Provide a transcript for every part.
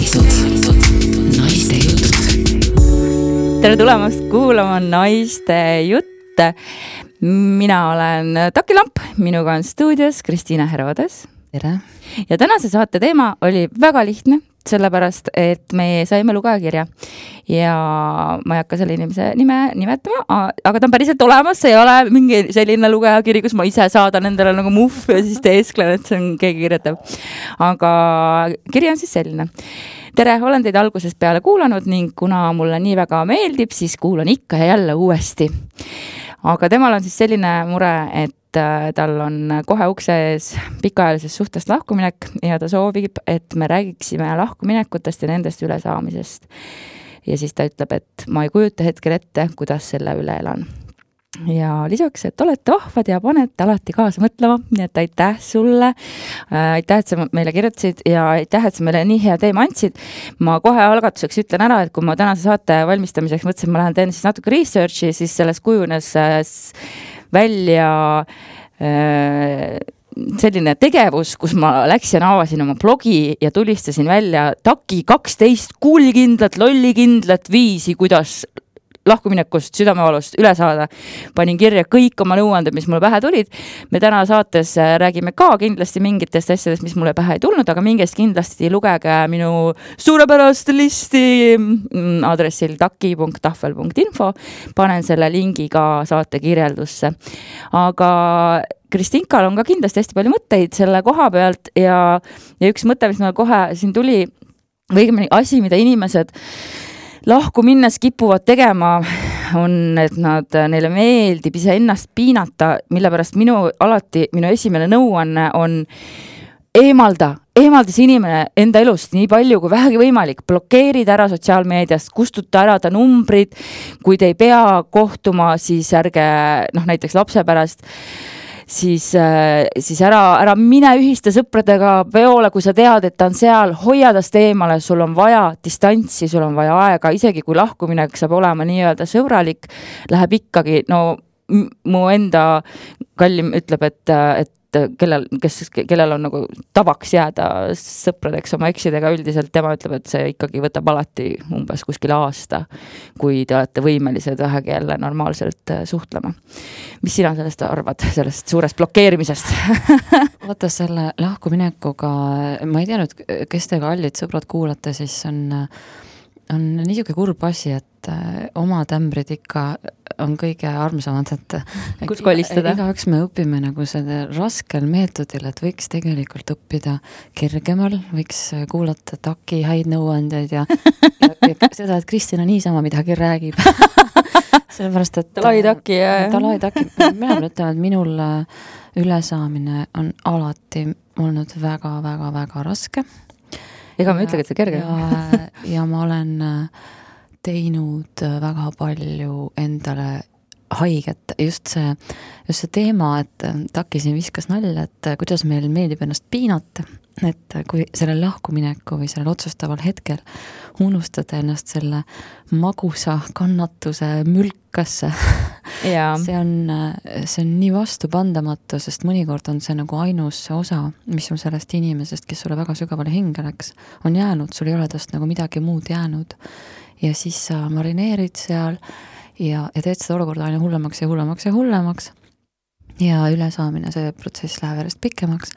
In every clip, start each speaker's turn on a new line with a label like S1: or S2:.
S1: Naiste jutud.
S2: Tere tulemast kuulama Naiste jutte. Mina olen Taki Lamp, minuga on stuudios Kristiina Herodes.
S3: Tere.
S2: Ja tänase saate teema oli väga lihtne, sellepärast, et me saime lugejakirja ja ma ei hakka selle inimese nime nimetama, aga ta on päriselt olemas, see ei ole mingi selline lugejakiri, kus ma ise saadan endale nagu muff ja siis teesklen, et see on keegi kirjutab. Aga kiri on siis selline. Tere, olen teid algusest peale kuulanud ning kuna mulle nii väga meeldib, siis kuulan ikka ja jälle uuesti. Aga temal on siis selline mure, et tal on kohe ukse ees pikaajalisest suhtest lahkuminek ja ta soovib, et me räägiksime lahkuminekutest ja nendest ülesaamisest. Ja siis ta ütleb, et ma ei kujuta hetkel ette, kuidas selle üle elan. Ja lisaks, et olete vahvad ja panete alati kaasa mõtlema, nii et aitäh sulle, aitäh, et sa meile kirjutasid ja aitäh, et sa meile nii hea teema andsid. Ma kohe algatuseks ütlen ära, et kui ma tänase saate valmistamiseks mõtlesin, ma lähen teen siis natuke researchi, siis sellest kujunes välja selline tegevus, kus ma läksin, avasin oma blogi ja tulistasin välja Taki 12 kuulikindlat, lollikindlat viisi, kuidas lahkuminekust, südamevalust üle saada. Panin kirja kõik oma nõuanded, mis mulle pähe tulid. Me täna saates räägime ka kindlasti mingitest asjadest, mis mulle pähe ei tulnud, aga mingest kindlasti lugege minu suurepärast listi aadressil taki.tahvel.info. Panen selle lingi ka saate kirjeldusse. Aga Kristinkal on ka kindlasti hästi palju mõtteid selle koha pealt ja üks mõte, mis mulle kohe siin tuli, või asi, mida inimesed lahku minnes kipuvad tegema, on, et neile meeldib ise ennast piinata, mille pärast minu esimene nõuanne on eemalda see inimene enda elust nii palju kui vähegi võimalik, blokeerid ära sotsiaalmeediast, kustuta ära ta numbrid, kui te ei pea kohtuma, siis ärge, näiteks lapse pärast, siis ära mine ühiste sõpradega peole, kui sa tead, et ta on seal, hoia tast eemale, sul on vaja distantsi, sul on vaja aega, isegi kui lahkuminek saab olema nii-öelda sõbralik, läheb ikkagi, mu enda kallim ütleb, et kellel on nagu tavaks jääda sõpradeks oma eksidega üldiselt, tema ütleb, et see ikkagi võtab alati umbes kuskil aasta, kui te olete võimelised vähegi jälle normaalselt suhtlema. Mis sina sellest arvad, sellest suurest blokeerimisest?
S3: Vaata selle lahkuminekuga, ma ei teanud, kes te kallid sõbrad kuulate, siis on niisugune kurb asi, et oma tämbrid ikka on kõige armsamad, et
S2: kus kolistada?
S3: Igaüks me õpime nagu selle raskel meetodil, et võiks tegelikult õppida kergemal, võiks kuulata Taki häid nõuandeid ja seda, et Kristina niisama midagi räägib. Sellepärast, et
S2: Talai Taki.
S3: Mina ütlen, et minul ülesaamine on alati olnud väga raske.
S2: Ega ma ütlegi, et see kerge.
S3: Ja ma olen teinud väga palju endale haiget. Just see teema, et Taki siin viskas nalja, et kuidas meil meeldib ennast piinata, et kui sellel lahkumineku või sellel otsustaval hetkel unustada ennast selle magusa kannatuse mülkasse. See on nii vastupandamatu, sest mõnikord on see nagu ainus osa, mis on sellest inimesest, kes sulle väga sügavale hinge läks, on jäänud, sul ei ole tast nagu midagi muud jäänud. Ja siis sa marineerid seal ja teed seda olukorda aina hullemaks. Ja ülesaamine, see protsess läheb järjest pikemaks.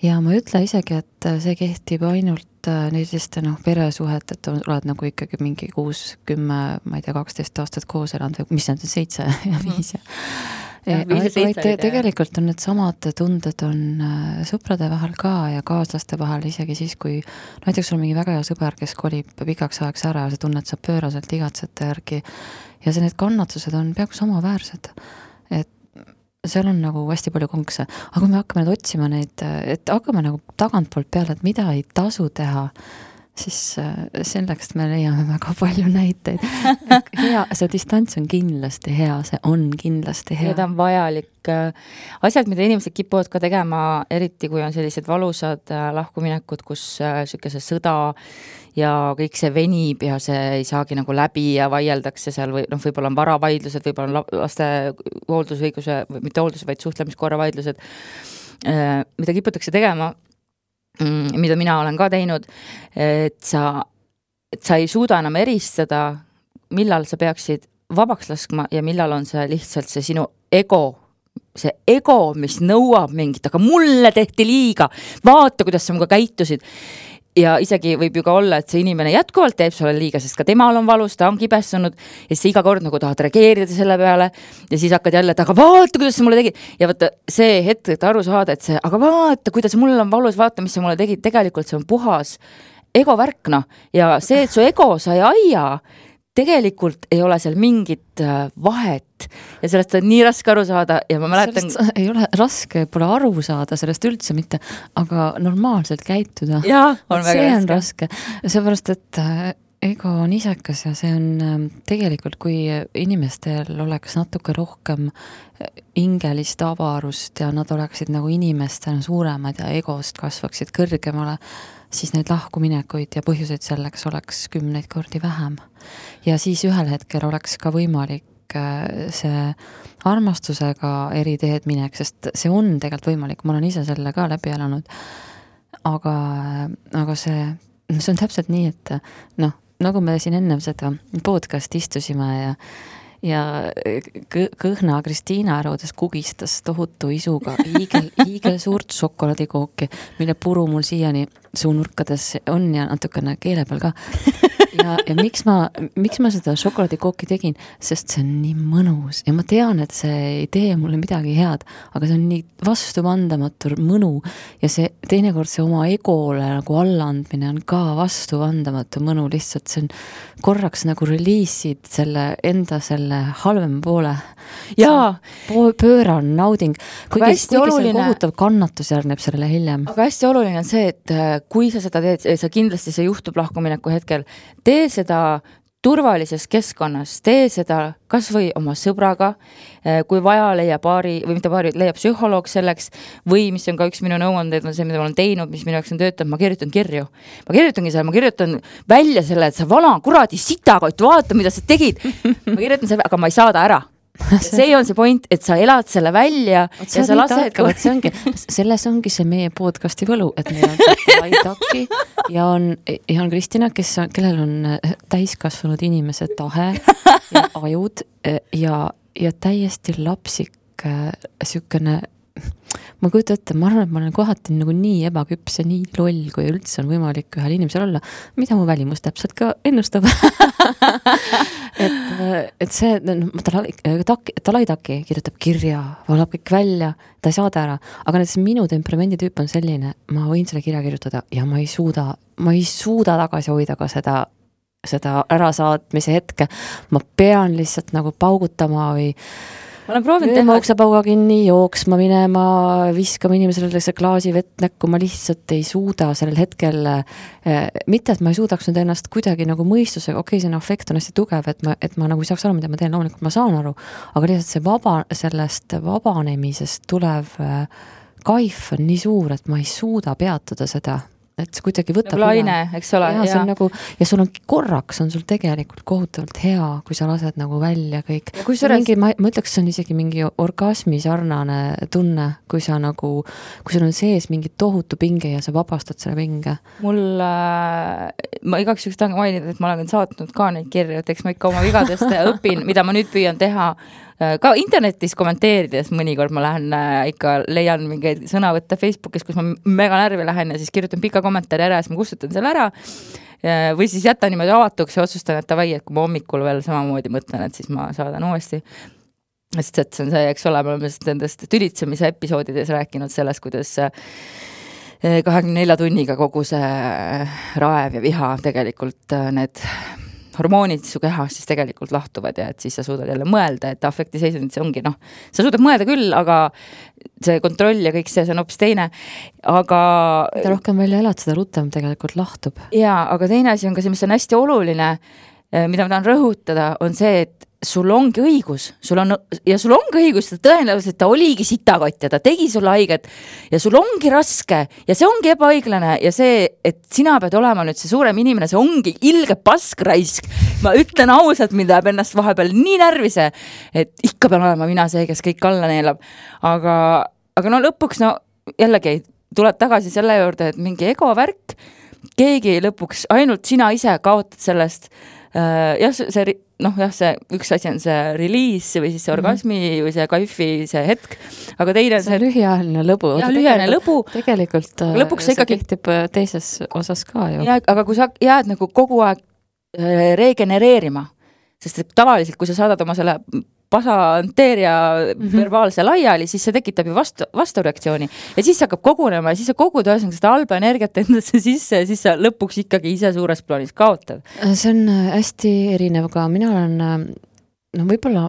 S3: Ja ma ütle isegi, et see kehtib ainult neiliste peresuhet, et oled nagu ikkagi mingi 6, 10, ma ei tea, 12 aastat koos elanud või mis on 7 ja 5 tegelikult on need samad tunded on sõprade vahel ka ja kaaslaste vahel isegi siis, kui näiteks sul on mingi väga hea sõber, kes kolib pikaks ajaks ära ja sa tunned, sa pööraselt igatsete järgi ja need kannatused on peaaegu samaväärsed, et seal on nagu hästi palju konkse, aga kui me hakkame nüüd otsima neid, et hakkame nagu tagantpoolt peale, et mida ei tasu teha, siis selleks me leiame väga palju näiteid. See distants on kindlasti hea, see on kindlasti hea.
S2: Ja ta on vajalik. Asjad, mida inimesed kipuvad ka tegema, eriti kui on sellised valusad lahkuminekud, kus sükese sõda ja kõik see venib ja see ei saagi nagu läbi ja vaieldakse seal või võib-olla on varavaidlused, võib-olla on laste hooldusõiguse, mitte hoolduse, vaid suhtlemiskorra vaidlused, mida kiputakse tegema, mida mina olen ka teinud, et sa ei suuda enam eristada, millal sa peaksid vabaks laskma ja millal on see lihtsalt see sinu ego, mis nõuab mingit, aga mulle tehti liiga, vaata, kuidas sa muga käitusid. Ja isegi võib ju ka olla, et see inimene jätkuvalt teeb sulle liiga, sest ka temal on valus, ta on kibestunud ja siis iga kord nagu tahad reageerida selle peale ja siis hakkad jälle, et aga vaata, kuidas sa mulle tegid. Ja vaata see hetk, et aru saada, et see, aga vaata, kuidas mul on valus, vaata, mis sa mulle tegid, tegelikult see on puhas ego värkna ja see, et su ego sa ei aia, tegelikult ei ole seal mingit vahet ja sellest on nii raske aru saada ja ma mäletan...
S3: Sellest ei ole raske, pole aru saada sellest üldse mitte, aga normaalselt käituda.
S2: Jaa, on väga
S3: see on raske. Seepärast, et ego on isekas ja see on tegelikult, kui inimestel oleks natuke rohkem hingelist avarust ja nad oleksid nagu inimestena suuremad ja egost kasvaksid kõrgemale, siis neid lahkuminekuid ja põhjuseid selleks oleks 10 kordi vähem. Ja siis ühel hetkel oleks ka võimalik see armastusega eri teed minek, sest see on tegelikult võimalik, ma olen ise selle ka läbi elanud. Aga see on täpselt nii, et noh, nagu me siin enne seda podcast istusime ja kõhna Kristiina Ärudes kugistas tohutu isuga hiigel suurt šokolaadikooki, mille puru mul siiani suunurkades on ja natukene keele peal ka. Ja miks ma seda šokolaadikooki tegin? Sest see on nii mõnus ja ma tean, et see ei tee mulle midagi head, aga see on nii vastuvandamatu mõnu ja see teinekord see oma egole nagu allaandmine on ka vastuvandamatu mõnu, lihtsalt see on korraks nagu reliisid selle halvem poole.
S2: Jaa.
S3: Pööran nauding. Kuigi see kohutav kannatus järgneb sellele hiljem.
S2: Aga hästi oluline on see, et kui sa seda teed, sa kindlasti see juhtub lahkumineku hetkel, tee seda turvalises keskkonnas, tee seda kas või oma sõbraga, kui vaja leiab leiab psühholoog selleks või mis on ka üks minu nõuandeid on see, mida ma olen teinud, mis minu jaoks on töötanud, ma kirjutan kirju. Ma kirjutan välja selle, et sa vala kuradi sitakott, vaata, mida sa tegid. Ma kirjutan selle, aga ma ei saada ära. See on see point, et sa elad selle välja ja sa lased...
S3: Selles ongi see meie podcasti võlu, et meil on Laidaki ja on Kristina, kellel on täiskasvanud inimese tahe ja ajud ja täiesti lapsik sükene. Ma kujutan ette, ma arvan, et ma olen kohati nagu nii ebaküps ja nii loll, kui üldse on võimalik ühel inimesel olla, mida mu välimus täpselt ka ennustab. et see, Laidaki kirjutab kirja, valab kõik välja, ta ei saada ära, aga näiteks minu temperamenditüüp on selline, ma võin selle kirja kirjutada ja ma ei suuda tagasi hoida ka seda ärasaatmise hetke, ma pean lihtsalt nagu paugutama või
S2: ma olen proovinud teha
S3: uksepauga kinni, jooksma minema, viskama inimesele see klaasi vett näkku, ma lihtsalt ei suuda sellel hetkel, mitte et ma ei suudaks nüüd ennast kuidagi nagu mõistusega, okei, see afekt on hästi tugev, et ma nagu ei saaks aru, mida ma teen, loomulikult ma saan aru, aga lihtsalt see sellest vabanemisest tulev kaif on nii suur, et ma ei suuda peatuda seda. Et see kuidagi võtab
S2: laine, eks ole.
S3: Ja, on nagu, ja sul on korraks on sul tegelikult kohutavalt hea, kui sa lased nagu välja kõik. Ma ütleks, see on isegi mingi orgasmi sarnane tunne, kui sul on sees mingi tohutu pinge ja sa vabastad selle pinge. Ma igaks üks tahan mainida, et ma olen saatnud ka neid kirju, et eks ma ikka oma vigadest õpin, mida ma nüüd püüan teha ka internetis kommenteerides mõnikord ma lähen ikka leian mingeid sõnavõtte Facebookis, kus ma mega närvi lähen ja siis kirjutan pika kommentaari ära ja siis ma kustutan selle ära või siis jätan niimoodi avatuks ja otsustan, et tavai, et kui ma hommikul veel samamoodi mõtlen, et siis ma saadan uuesti. Sest et see on see, eks ole, me oleme nendest tülitsemise episoodides rääkinud sellest, kuidas 24 tunniga kogu see raev ja viha tegelikult need hormoonid su kehas siis tegelikult lahtuvad ja et siis sa suudad jälle mõelda, et afektiseisundid see ongi, sa suudad mõelda küll, aga see kontroll ja kõik see on hoopis teine, aga... Mida rohkem välja elad, seda rutem tegelikult lahtub.
S2: Jaa, aga teine asi on ka see, mis on hästi oluline, mida ma tahan rõhutada, on see, et sul ongi õigus, sul ongi õigus, tõenäoliselt ta oligi sitakott ja ta tegi sulle haiget ja sul ongi raske ja see ongi ebaõiglane ja see, et sina pead olema nüüd see suurem inimene, see ongi ilge paskraisk. Ma ütlen ausalt, mind läheb ennast vahepeal nii närvise, et ikka pean olema mina see, kes kõik alla neelab. Aga lõpuks jällegi tuleb tagasi selle juurde, et mingi ego värk, keegi lõpuks, ainult sina ise kaotad sellest, jah, see üks asi on see release või siis see orgasmi või see kaifi see hetk, aga teine
S3: see lühiajaline lõbu.
S2: Ja lühiajaline lõbu.
S3: Tegelikult lõpuks see ikkagi kehtib teises osas ka ju.
S2: Ja, aga kui sa jääd nagu kogu aeg regenereerima, sest et tavaliselt, kui sa saadad oma selle pasanteeria verbaalse laiali, siis see tekitab ju vastureaktsiooni ja siis hakkab kogunema ja siis sa kogud ühesõnaga seda halba energiat endasse sisse ja siis sa lõpuks ikkagi ise suures plaanis kaotad.
S3: See on hästi erinev, aga mina olen, võib-olla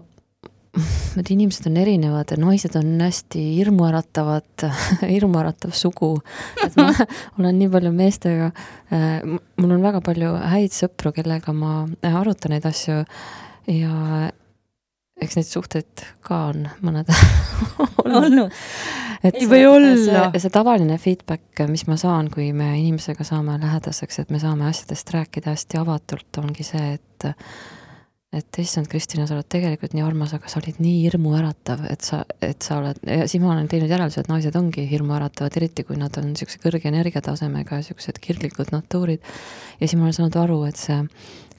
S3: inimesed on erinevad, naised on hästi hirmuäratav sugu, et ma olen nii palju meestega, mul on väga palju häid sõpru, kellega ma arutan neid asju ja eks neid suhteid ka on mõned
S2: olnud.
S3: Ei või olla. See tavaline feedback, mis ma saan, kui me inimesega saame lähedaseks, et me saame asjadest rääkida hästi avatult, ongi see, et issand, Kristina, sa oled tegelikult nii armas, aga sa olid nii hirmuäratav, et sa oled, ja siis ma olen teinud järelduse, et naised ongi hirmuäratavad, eriti kui nad on niisuguse kõrge energiatasemega ja niisugused kirglikud natuurid. Ja siis ma olen saanud aru, et see,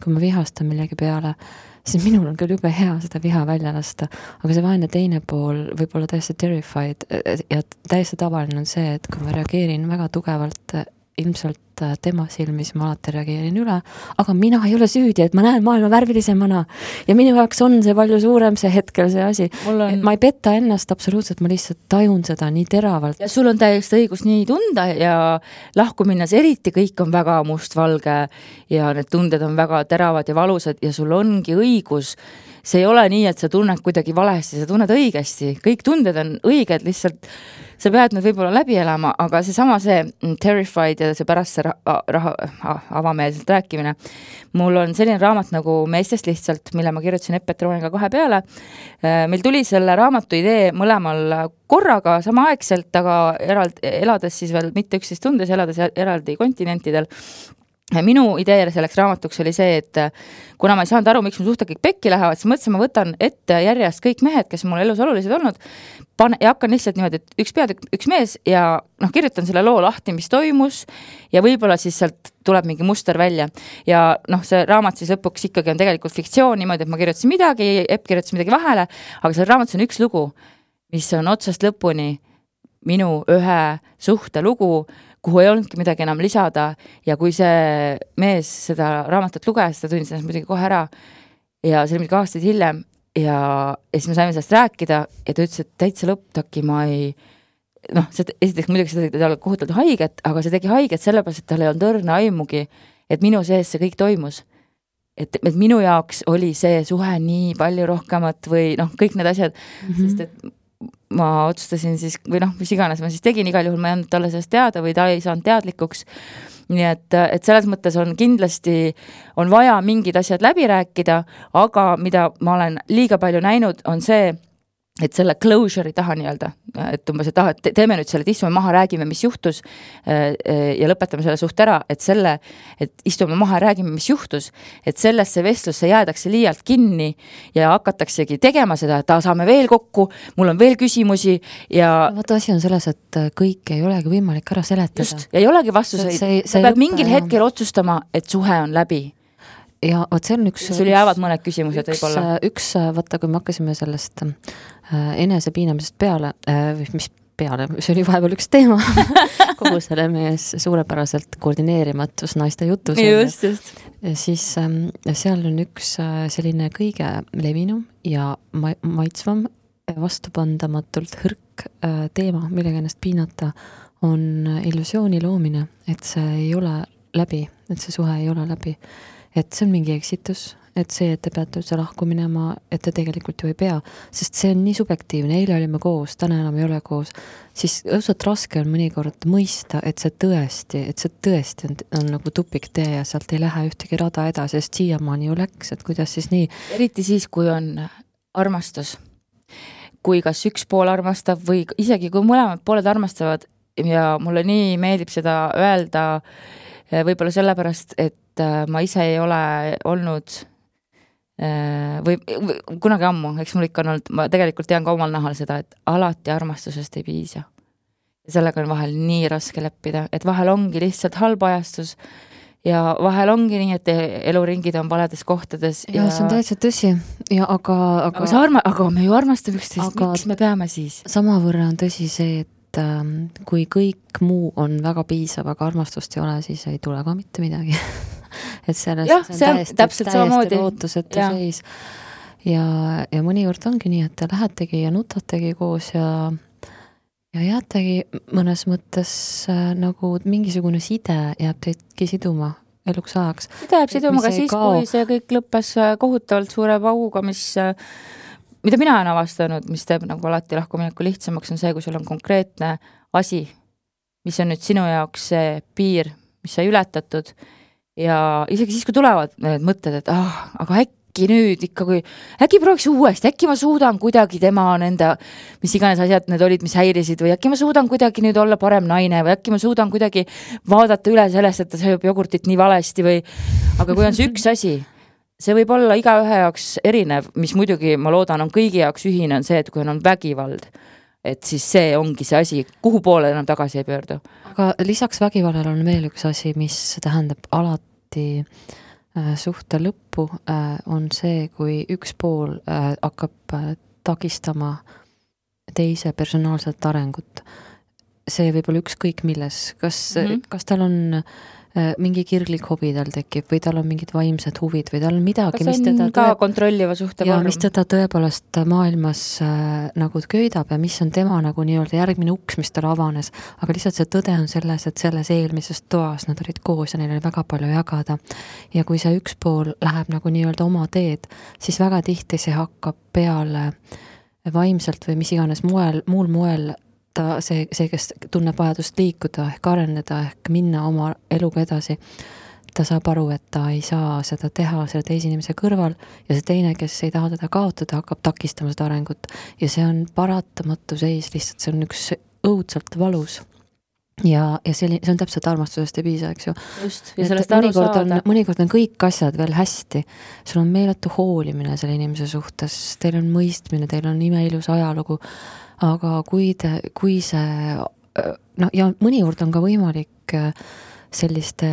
S3: kui ma vihastan millegi peale, siis minul on küll jube hea seda viha välja lasta, aga see vaene teine pool võib olla täiesti terrified ja täiesti tavaline on see, et kui ma reageerin väga tugevalt, ilmselt tema silmis ma alati reageerin üle, aga mina ei ole süüdi, et ma näen maailma värvilisemana ja minu jaoks on see palju suurem see hetkel see asi. Ma ei petta ennast absoluutselt, ma lihtsalt tajun seda nii teravalt.
S2: Ja sul on täiesti õigus nii tunda ja lahku minnes eriti kõik on väga mustvalge ja need tunded on väga teravad ja valusad ja sul ongi õigus. See ei ole nii, et sa tunned kuidagi valesti, sa tunned õigesti. Kõik tunded on õiged, lihtsalt sa pead need võib-olla läbi elama, aga see terrified ja see pärast see avameelselt rääkimine. Mul on selline raamat nagu Meestest lihtsalt, mille ma kirjutasin Epetrooniga 2 peale. Meil tuli selle raamatu idee mõlemal korraga samaaegselt, aga elades siis veel mitte 11 tundes, elades eraldi kontinentidel. Minu idee selleks raamatuks oli see, et kuna ma ei saanud aru, miks mu suhted kõik pekki lähevad, siis mõtlesin, ma võtan ette järjest kõik mehed, kes mul elus olulised olnud, ja hakkan lihtsalt niimoodi, et üks pead, üks mees ja kirjutan selle loo lahti, mis toimus ja võib-olla siis sealt tuleb mingi muster välja. Ja see raamat siis lõpuks ikkagi on tegelikult fiktsioon niimoodi, et ma kirjutasin midagi, Epp kirjutasin midagi vahele, aga seal raamatus on üks lugu, mis on otsast lõpuni minu ühe suhte lugu, kuhu ei olnudki midagi enam lisada ja kui see mees seda raamatut luges, ta tundis ennast muidugi kohe ära ja see oli midagi aastaid hiljem ja siis me saime sellest rääkida ja ta ütles, et täitsa lõpptaki ma ei, esiteks muidugi see tegi kohutavalt haiget, aga see tegi haiget sellepärast, et tal ei olnud õrna aimugi, et minu sees see kõik toimus. Et minu jaoks oli see suhe nii palju rohkemat või kõik need asjad, sest et ma otsustasin siis, või mis iganes ma siis tegin, igal juhul ma ei andnud talle sellest teada või ta ei saanud teadlikuks. Nii et selles mõttes on kindlasti, on vaja mingid asjad läbi rääkida, aga mida ma olen liiga palju näinud, on see, et selle closure'i taha nii-öelda, et umbes, et teeme nüüd selle, et istume maha, räägime, mis juhtus ja lõpetame selle suht ära, et istume maha ja räägime, mis juhtus, et sellesse vestlusse jäädakse liialt kinni ja hakataksegi tegema seda, et saame veel kokku, mul on veel küsimusi ja...
S3: Vaata, asi on selles, et kõik ei olegi võimalik ära seletada.
S2: Just, ja ei olegi vastuseid. Sa pead mingil hetkel otsustama, et suhe on läbi.
S3: Ja vaat see on üks...
S2: Sul jäävad mõned küsimused võib-olla.
S3: Vaata, kui me hakkasime sellest enesepiinamisest peale, mis peale, see oli vahepeal üks teema, kogu selle mees suurepäraselt koordineerimatus naiste jutus.
S2: Just.
S3: Siis seal on üks selline kõige levinum ja maitsvam vastupandamatult hõrk teema, millega ennast piinata, on illusiooni loomine, et see ei ole läbi, et see suhe ei ole läbi. Et see on mingi eksitus, et see, et te peate üldse lahku minema, et te tegelikult ju ei pea, sest see on nii subjektiivne, eile olime koos, täna enam ei ole koos, siis õudselt raske on mõnikord mõista, et see tõesti on nagu tupiktee ja sealt ei lähe ühtegi rada edasi, sest siiamaani ju läks, et kuidas siis nii.
S2: Eriti siis, kui on armastus, kui kas üks pool armastab või isegi kui mõlemad pooled armastavad ja mulle nii meeldib seda öelda võib-olla sellepärast, et ma ise ei ole olnud või kunagi ammu, eks mul ikka on olnud, ma tegelikult tean ka omal nahal seda, et alati armastusest ei piisa. sellega on vahel nii raske leppida, et vahel ongi lihtsalt halb ajastus ja vahel ongi nii, et eluringid on valedes kohtades.
S3: Ja see on täitsa tõsi. Ja
S2: aga me ju armastame üksteist, miks me peame siis?
S3: Samavõrra on tõsi see, et kui kõik muu on väga piisav, aga armastust ei ole, siis ei tule ka mitte midagi. Et sellest
S2: see on täpselt samamoodi
S3: lootusetu seis. Ja mõnikord ongi nii, et te lähetegi ja nutategi koos ja jäätegi mõnes mõttes nagu mingisugune side jääb teidki siduma eluks ajaks.
S2: Side jääb siduma ka siis, kui see kõik lõppes kohutavalt suure pauguga, mida mina olen avastanud, mis teeb nagu alati lahkumineku lihtsamaks, on see, kui sul on konkreetne asi, mis on nüüd sinu jaoks see piir, mis sai ületatud ja isegi siis, kui tulevad need mõtted, et aga äkki nüüd ikka, äkki prooviks uuesti, äkki ma suudan kuidagi tema nende, mis iganes asjad need olid, mis häirisid või äkki ma suudan kuidagi nüüd olla parem naine või äkki ma suudan kuidagi vaadata üle sellest, et ta sööb jogurtit nii valesti või, aga kui on see üks asi, see võib olla igaühe jaoks erinev, mis muidugi ma loodan on kõigi jaoks ühine, on see, et kui on vägivald, et siis see ongi see asi, kuhu poole enam tagasi ei pöördu.
S3: Aga lisaks vägivallale on veel üks asi, mis tähendab alati suhte lõppu, on see, kui üks pool hakkab takistama teise personaalset arengut. See võib olla ükskõik milles. Kas tal on mingi kirglik hobi tal tekib või tal on mingid vaimsed huvid või tal on midagi,
S2: mis teda ka kontrolliva suhte
S3: vorm. Mis teda tõepoolest maailmas nagu köidab ja mis on tema nagu nii-öelda järgmine uks, mis tal avanes. Aga lihtsalt see tõde on selles, et selles eelmises toas nad olid koos ja neil oli väga palju jagada. Ja kui see üks pool läheb nagu nii-öelda oma teed, siis väga tihti see hakkab peale vaimselt või mis iganes muul moel see, kes tunneb vajadust liikuda ehk areneda ehk minna oma eluga edasi, ta saab aru, et ta ei saa seda teha selle teise inimese kõrval ja see teine, kes ei taha teda kaotada, hakkab takistama seda arengut ja see on paratamatu seis, lihtsalt see on üks õudselt valus ja see on täpselt armastusest ei piisa, eks ju.
S2: Just, ja sellest aru saada.
S3: Mõnikord on kõik asjad veel hästi, sul on meeletu hoolimine selle inimese suhtes, teil on mõistmine, teil on imeilus ajalugu, aga kui see, ja mõnikord on ka võimalik selliste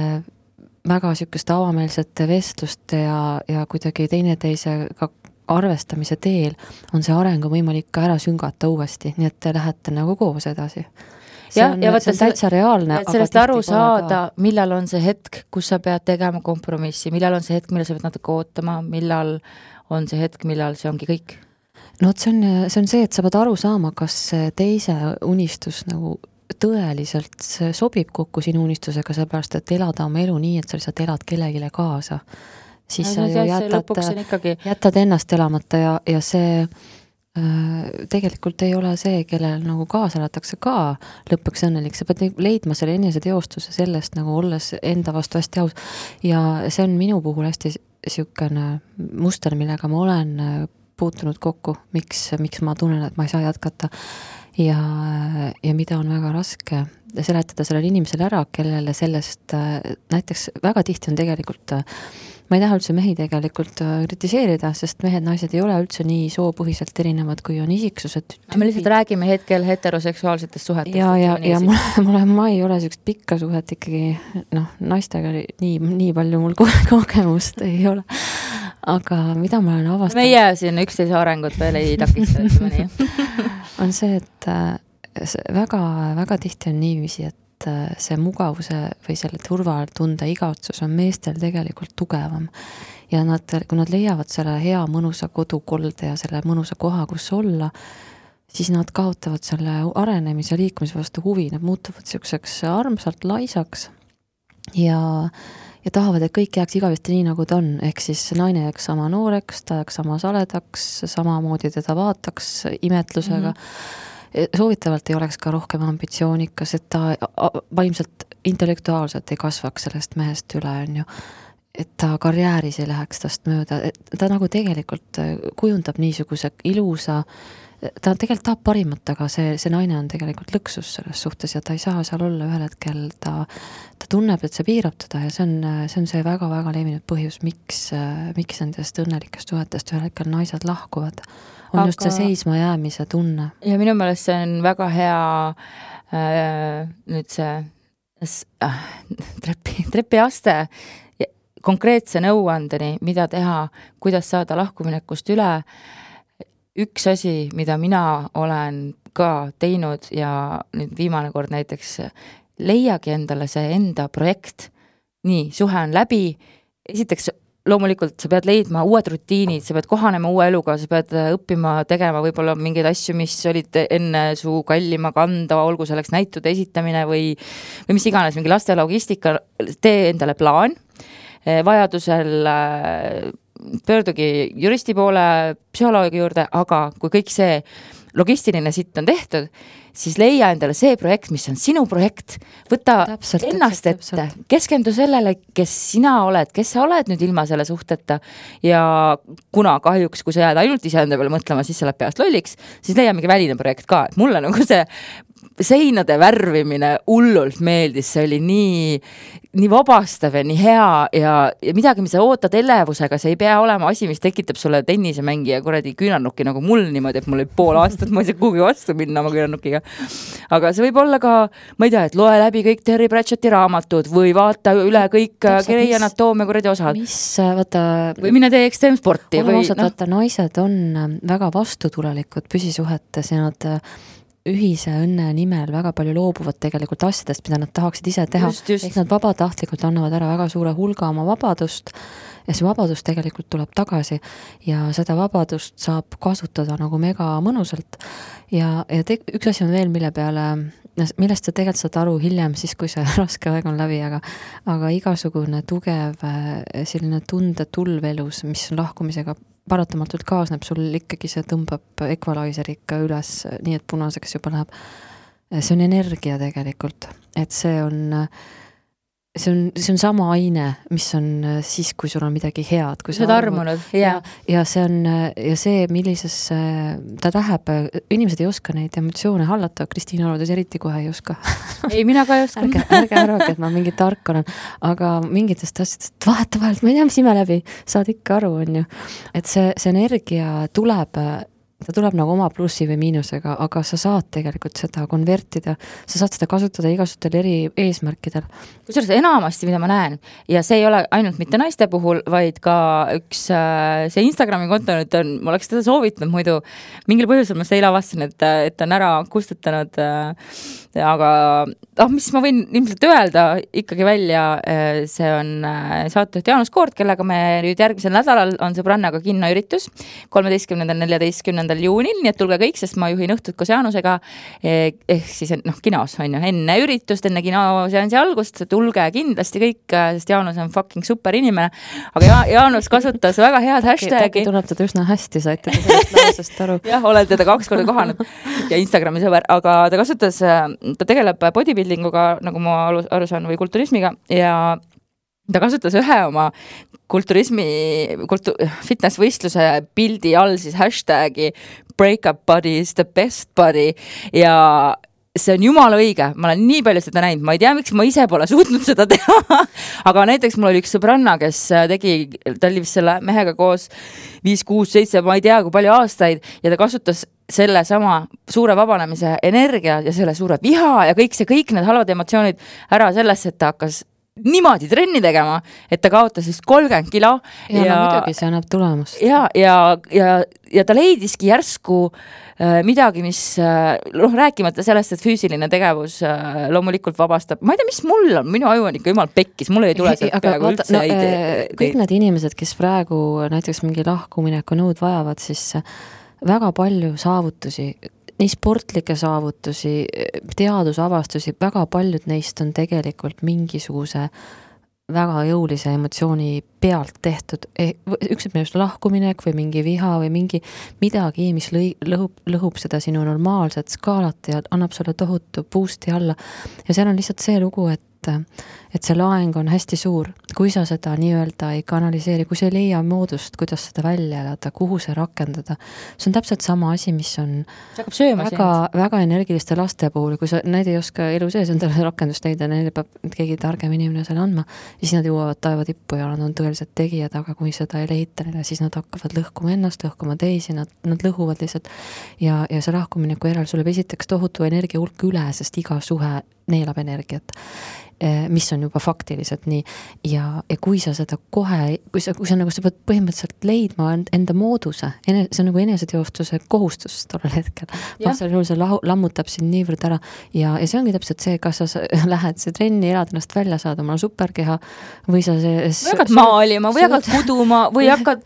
S3: väga sükeste avameelsete vestluste ja kuidagi teineteisega arvestamise teel on see arengu võimalik ka ära süngata uuesti, nii et te lähete nagu koos edasi. See on täitsa reaalne.
S2: Et sellest aru saada, millal on see hetk, kus sa pead tegema kompromissi, millal on see hetk, millal sa pead natuke ootama, millal on see hetk, millal see ongi kõik?
S3: No see on see, et sa pead aru saama, kas teise unistus nagu tõeliselt sobib kokku sinu unistusega, sellepärast, et elada oma elu nii, et sa lihtsalt elad kellegile kaasa. Siis sa ju jätad ennast elamata ja see tegelikult ei ole see, kellel nagu kaasa elatakse ka lõpuks õnnelik. Sa pead leidma selle enese teostuse sellest, nagu olles enda vastu hästi aus. Ja see on minu puhul hästi siukene muster, millega ma olen puutunud kokku, miks ma tunnen, et ma ei saa jätkata ja mida on väga raske seletada sellele inimesele ära, kellele sellest näiteks väga tihti on tegelikult, ma ei taha üldse mehi tegelikult kritiseerida, sest mehed, naised ei ole üldse nii soopõhiselt erinevad, kui on isiksused.
S2: Me lihtsalt räägime hetkel heteroseksuaalsetest suhetest.
S3: Ja ma ei ole sellist pikka suhet ikkagi, naistega nii palju mul kogemust ei ole. Aga mida ma olen avastanud?
S2: Meie siin üksteise arengut veel ei takista, ütleme nii.
S3: On see, et väga, väga tihti on niiviisi, et see mugavuse või selle turvatunde igaotsus on meestel tegelikult tugevam. Ja kui nad leiavad selle hea mõnusa kodukolde ja selle mõnusa koha, kus olla, siis nad kaotavad selle arenemise ja liikumise vastu huvi. Nad muutuvad selliseks armsalt laisaks ja tahavad, et kõik jääks igavesti nii, nagu ta on. Ehk siis naine jääks sama nooreks, ta jääks sama saledaks, samamoodi teda vaataks imetlusega. Soovitavalt ei oleks ka rohkem ambitsioonikas, et ta vaimselt intellektuaalselt ei kasvaks sellest mehest üle, on ju. Et ta karjääris ei läheks tast mööda. Ta nagu tegelikult kujundab niisuguse ilusa ta tegelikult tahab parimat, aga see naine on tegelikult lõksus selles suhtes ja ta ei saa seal olla ühel hetkel, ta tunneb, et see piirab teda ja see on see väga-väga levinud põhjus, miks nendest õnnelikest suhetest ühel hetkel naised lahkuvad. On just see seisma jäämise tunne.
S2: Ja minu meelest see on väga hea nüüd see trepiaste konkreetse nõuandeni, mida teha, kuidas saada lahkuminekust üle. Üks asi, mida mina olen ka teinud ja nüüd viimane kord näiteks leiagi endale see enda projekt. Nii, suhe on läbi. Esiteks loomulikult sa pead leidma uued rutiinid, sa pead kohanema uue eluga, sa pead õppima tegema võib-olla mingeid asju, mis olid enne su kallima kanda, olgu selleks näitude esitamine või mis iganes, mingi laste logistika, tee endale plaan. Vajadusel pöördugi juristi poole, psühholoogi juurde, aga kui kõik see logistiline sitt on tehtud, siis leia endale see projekt, mis on sinu projekt, võta ennast ette, keskendu sellele, kes sina oled, kes sa oled nüüd ilma selle suhteta ja kuna kahjuks, kui sa jääd ainult iseenda peale mõtlema, siis sa oled peast lolliks, siis leia mingi väline projekt ka, et mulle nagu see seinade värvimine hullult meeldis, see oli nii vabastav ja nii hea ja midagi, mis sa ootad elevusega, see ei pea olema asi, mis tekitab sulle tennisemängija kuradi küünarnuki nagu mul niimoodi, et mul oli pool aastat, ma ei saa kuhugi vastu minna oma küünarnukiga. Aga see võib olla ka, ma ei tea, et loe läbi kõik Terry Pratchetti raamatud või vaata üle kõik Grey Anatoomia kuradi osad. Või mine tee ekstreemsporti.
S3: Vaata, naised on väga vastutulelikud püsisuhetes ja nad ühise õnne nimel väga palju loobuvad tegelikult asjadest, mida nad tahaksid ise teha. Ehk nad vabatahtlikult annavad ära väga suure hulga oma vabadust ja see vabadus tegelikult tuleb tagasi ja seda vabadust saab kasutada nagu mega mõnusalt. Ja üks asi on veel, millest sa tegelikult saad aru hiljem, siis kui see raske aeg on läbi, aga igasugune tugev selline tundetulv elus, mis on lahkumisega paratamatult kaasneb, sul ikkagi see tõmbab equalizer ikka üles, nii et punaseks juba läheb. See on energia tegelikult, et see on sama aine, mis on siis, kui sul on midagi head. Kui
S2: sa armunud,
S3: ja see, millises ta läheb, inimesed ei oska neid emotsioone hallata, Kristiina Arudes eriti kohe ei oska.
S2: Ei, mina ka ei oska.
S3: Ärge arvake, et ma mingi tark olen, aga mingitest asjadest vahetavalt, ma ei tea, mis ime läbi, saad ikka aru, on ju. Et see energia tuleb nagu oma plussi või miinusega, aga sa saad tegelikult seda konvertida, sa saad seda kasutada igasugustel eri eesmärkidel.
S2: Kusjuures enamasti, mida ma näen, ja see ei ole ainult mitte naiste puhul, vaid ka üks see Instagrami konto nüüd on, ma oleks teda soovitanud muidu, mingil põhjusel ma seda avastasin, et on ära kustutanud, aga mis ma võin ilmselt öelda ikkagi välja, see on saatejuht Jaanus Koort, kellega me nüüd järgmisel nädalal on sõbrannaga kinnoüritus 13.–14. juunil, nii et tulge kõik, sest ma juhin õhtut koos Jaanusega ehk siis kinos on ju, enne üritust, enne kinoseansi algust, tulge kindlasti kõik, sest Jaanus on fucking super inimene, aga Jaanus kasutas väga head hashtagi.
S3: Tuleb teda üsna hästi, saite te sellest lausest aru.
S2: Jah, olen teda 2 korda kohanud ja Instagrami sõber, aga ta tegeleb bodybuildinguga, nagu ma aru saan, või kulturismiga ja ta kasutas ühe oma fitnessvõistluse pildi all siis hashtagi breakup body is the best body ja see on jumala õige, ma olen nii palju seda näinud, ma ei tea, miks ma ise pole suutnud seda teha, aga näiteks mul oli üks sõbranna, kes ta oli vist selle mehega koos 5, 6, 7, ma ei tea, kui palju aastaid ja ta kasutas selle sama suure vabanemise energia ja selle suure viha ja kõik need halvad emotsioonid ära sellesse, et ta hakkas niimoodi trenni tegema, et ta kaotas siis 30 kilo.
S3: Ja muidugi see annab tulemust.
S2: Ja ta leidiski järsku midagi, mis rääkimata sellest, et füüsiline tegevus loomulikult vabastab. Ma ei tea, mis mul on, minu aju on ikka jumal pekkis, mul ei tule sealt peaaegu üldse
S3: kõik need inimesed, kes praegu näiteks mingi lahkumineku nõud vajavad, siis väga palju saavutusi, nii sportlikke saavutusi, teadusavastusi, väga paljud neist on tegelikult mingisuguse väga jõulise emotsiooni pealt tehtud. Üks on just lahkuminek või mingi viha või midagi, mis lõhub seda sinu normaalset skaalat ja annab sulle tohutu boost'i alla. Ja seal on lihtsalt see lugu, et see laeng on hästi suur. kui sa seda nii-öelda ei kanaliseeri, kui sa ei leia moodust, kuidas seda välja elada, kuhu see rakendada, see on täpselt sama asi, mis on väga energiliste laste puhul, kui sa, need ei oska elu sees endale rakendust leida, neile peab keegi targem inimene selle andma, siis nad jõuavad taeva tippu ja nad on tõeliselt tegijad, aga kui seda ei leita neile, siis nad hakkavad lõhkuma ennast, lõhkuma teisi, nad lõhuvad lihtsalt ja see lahkumineku järel sulle esiteks tohutu energia hulk üle, sest iga suhe neelab energiat, mis on juba faktiliselt nii ja kui sa seda kohe, kui sa nagu sa pead põhimõtteliselt leidma enda mooduse, see on nagu eneseteostuse kohustus tollel hetkel. Vastal juhul see lammutab sind niivõrd ära ja see ongi täpselt see, kas sa lähed see trenni, elad ennast välja saada, oma superkeha või sa
S2: või hakkad maalima või hakkad kuduma või hakkad